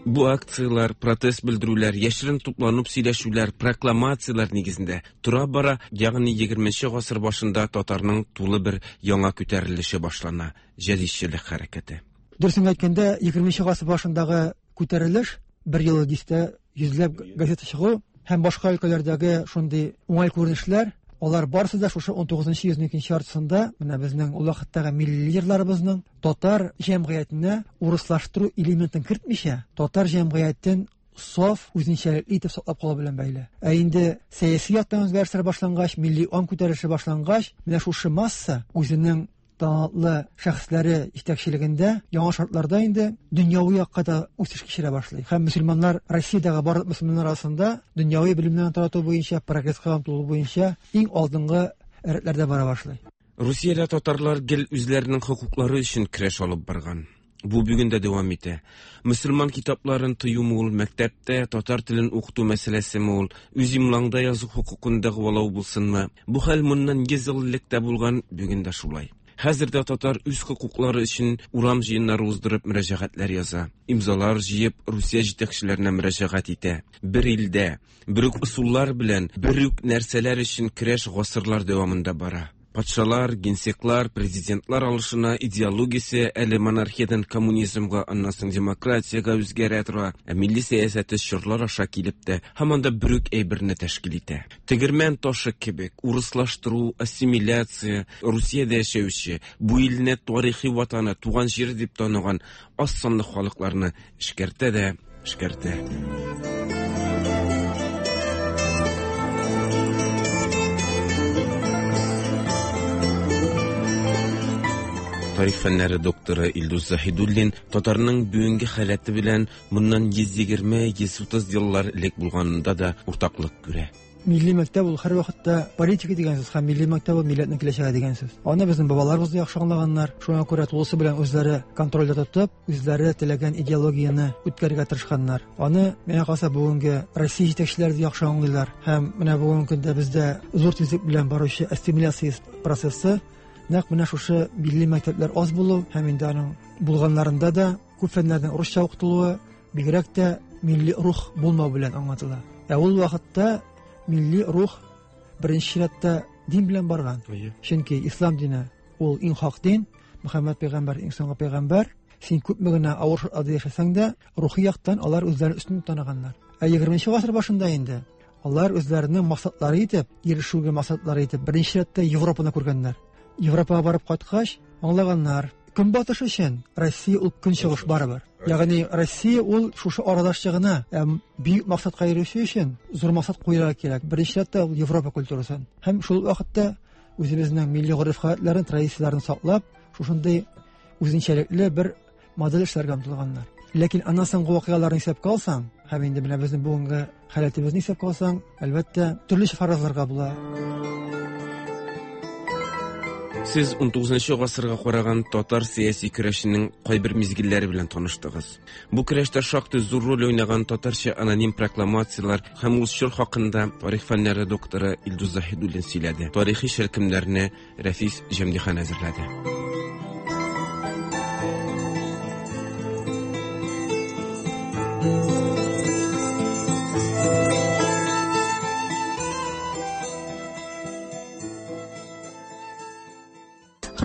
Бу акциялар, протест белдерүләр, яшерен тупланып сөйләшүләр, прокламациялар нигезендә тора-бара, ягъни егерменче гасыр башында татарның тулы бер яңа күтәрелеше башлана, җәдидчелек хәрәкәте. Дөресен әйткәндә, егерменче гасыр башындагы күтәрелеш бер ел дистә йөзләп газета чыгу һәм башка өлкәләрдәге шундый уңай күренешләр, алар барысы да шушы ун тугызынчы йөзнең икенче яртысында менә безнең ул вакыттагы милли лидерларыбызның татар җәмгыятенә урыслаштыру элементын кертмичә, татар җәмгыятен саф үзенчәлекле итеп саклап калу белән бәйле. Ә инде сәяси яктан үзгәрешләр башлангач, милли аң күтәрелеше башлангач, менә шушы масса үзенең талантлы шәхесләре җитәкчелегендә яңа шартларда инде дөньяви якка да үсеш кичерә башлый. Һәм мөселманнар Россиядәге барлык мөселманнар арасында дөньяви белемнәрне тарату буенча, прогресска омтылу буенча иң алдынгы рәтләрдә бара башлый. Русиядә татарлар гел үзләренең хокуклары өчен көрәш алып барган. Бу бүген дә дәвам итә. Мөселман китапларын тыюмы ул, мәктәптә татар телен укыту мәсьәләсеме ул, үз имлаңда язу хокукын дәгъвалау булсынмы? Бу хәл моннан йөз ел элек тә булган, бүген дә шулай. Хәзер дә татар үз хокуклары өчен урам җыеннары уздырып мөрәҗәгатьләр яза. Имзалар җыеп Русия җитәкчеләренә мөрәҗәгать итә. Бер илдә, бер үк ысуллар белән, бер үк нәрсәләр өчен көрәш гасырлар дәвамында бара. Патшалар, генсеклар, президентлар алышына, идеологиясе әле монархиядан коммунизмга, аннан соң демократиягә үзгәрә тора, ә милли сәясәте чорлар аша килеп тә һаман да бер үк әйберне тәшкил итә. Тегермән ташы кебек урыслаштыру, ассимиляция, Русиядә яшәүче, бу илне тарихи ватаны, туган җире дип таныган аз санлы халыкларны эшкәртә дә эшкәртә. Тарих фәннәре докторы Илдус Заһидуллин татарның бүгенге халәте белән моннан йөз егерме, йөз утыз еллар элек булганында да уртаклык күрә. Милли мәктәп ул һәр вакытта политика дигән сүз һәм милли мәктәп ул милләтнең киләчәге дигән сүз. Аны безнең бабаларыбыз да яхшы аңлаганнар. Шуңа күрә тулысы белән үзләре контрольдә тотып, үзләре теләгән идеологияне үткәрергә тырышканнар. Аны миңа калса бүгенге Россия җитәкчеләре дә яхшы аңлыйлар. Һәм менә бүгенге көндә бездә зур тизлек белән баручы ассимиляция процессы нәкъ менә шушы милли мәктәпләр аз булу һәм инде аның булганнарында да күп фәннәрнең русча укытылуы, бигрәк тә милли рух булмау белән аңлатыла. Ә ул вакытта милли рух беренче чиратта дин белән барган. Чөнки ислам дине ул иң хак дин, Мөхәммәд пәйгамбәр иң соңгы пәйгамбәр. Син күпме генә авыр шартларда яшәсәң дә, рухи яктан алар үзләрен өстен таныганнар. Ә егерменче гасыр башында инде алар үзләренең максатлары итеп, ирешүгә максатлары итеп беренче чиратта Европаны күргәннәр. Европага барып кайткач, аңлаганнар, Көнбатыш өчен Россия ул көнчыгыш барыбер. Ягъни Россия ул шушы арадашчы гына, ә бөек максатка ирешү өчен зур максат куярга кирәк. Беренче чиратта ул Европа культурасын. Һәм шул вакытта үзебезнең милли гореф-гадәтләрен, традицияләрен саклап, шушындый үзенчәлекле бер модель эшләргә омтылганнар. Ләкин аннан соңгы вакыйгаларны исәпкә алсаң, һәм инде менә безнең бүгенге халәтебезне исәпкә алсаң, әлбәттә, төрлечә фаразларга була. Сез унтугызынчы гасырга караган татар сәяси көрәшенең кайбер мизгелләре белән таныштыгыз. Бу көрәштә шактый зур роль уйнаган татарча аноним прокламациялар һәм ул чор хакында тарих фәннәре докторы Илдус Заһидуллин сөйләде. Тарихи шәлкемнәрне Рәфис Җәмдихан әзерләде.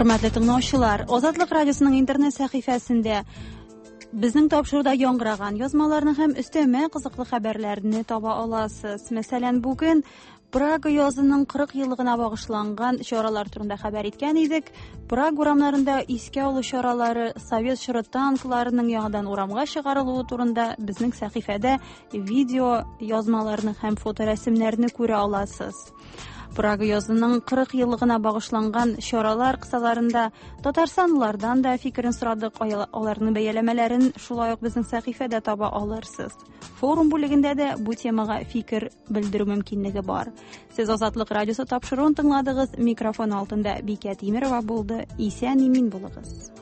Хөрмәтле тыңлаучылар, Азатлык радиосының интернет сәхифәсендә безнең тапшыруда яңгыраган язмаларны һәм өстәмә кызыклы хәбәрләрне таба аласыз. Мәсәлән, бүген Прага язының кырык еллыгына багышланган чаралар турында хәбәр иткән идек. Прага урамнарында искә алу чаралары, совет чоры танкларының яңадан урамга чыгарылуы турында безнең сәхифәдә видео язмаларны һәм фоторәсемнәрне күрә аласыз. Прага язының кырык еллыгына багышланган чаралар кысаларында татарстанлылардан да фикерен сорадык, аларның бәяләмәләрен шулай ук безнең сәхифәдә таба алырсыз. Форум бүлегендә дә бу темага фикер белдерү мөмкинлеге бар. Сез Азатлык радиосы тапшыруын тыңладыгыз. Микрофон алдында Бикә Тимирова булды. Исән-имин булыгыз.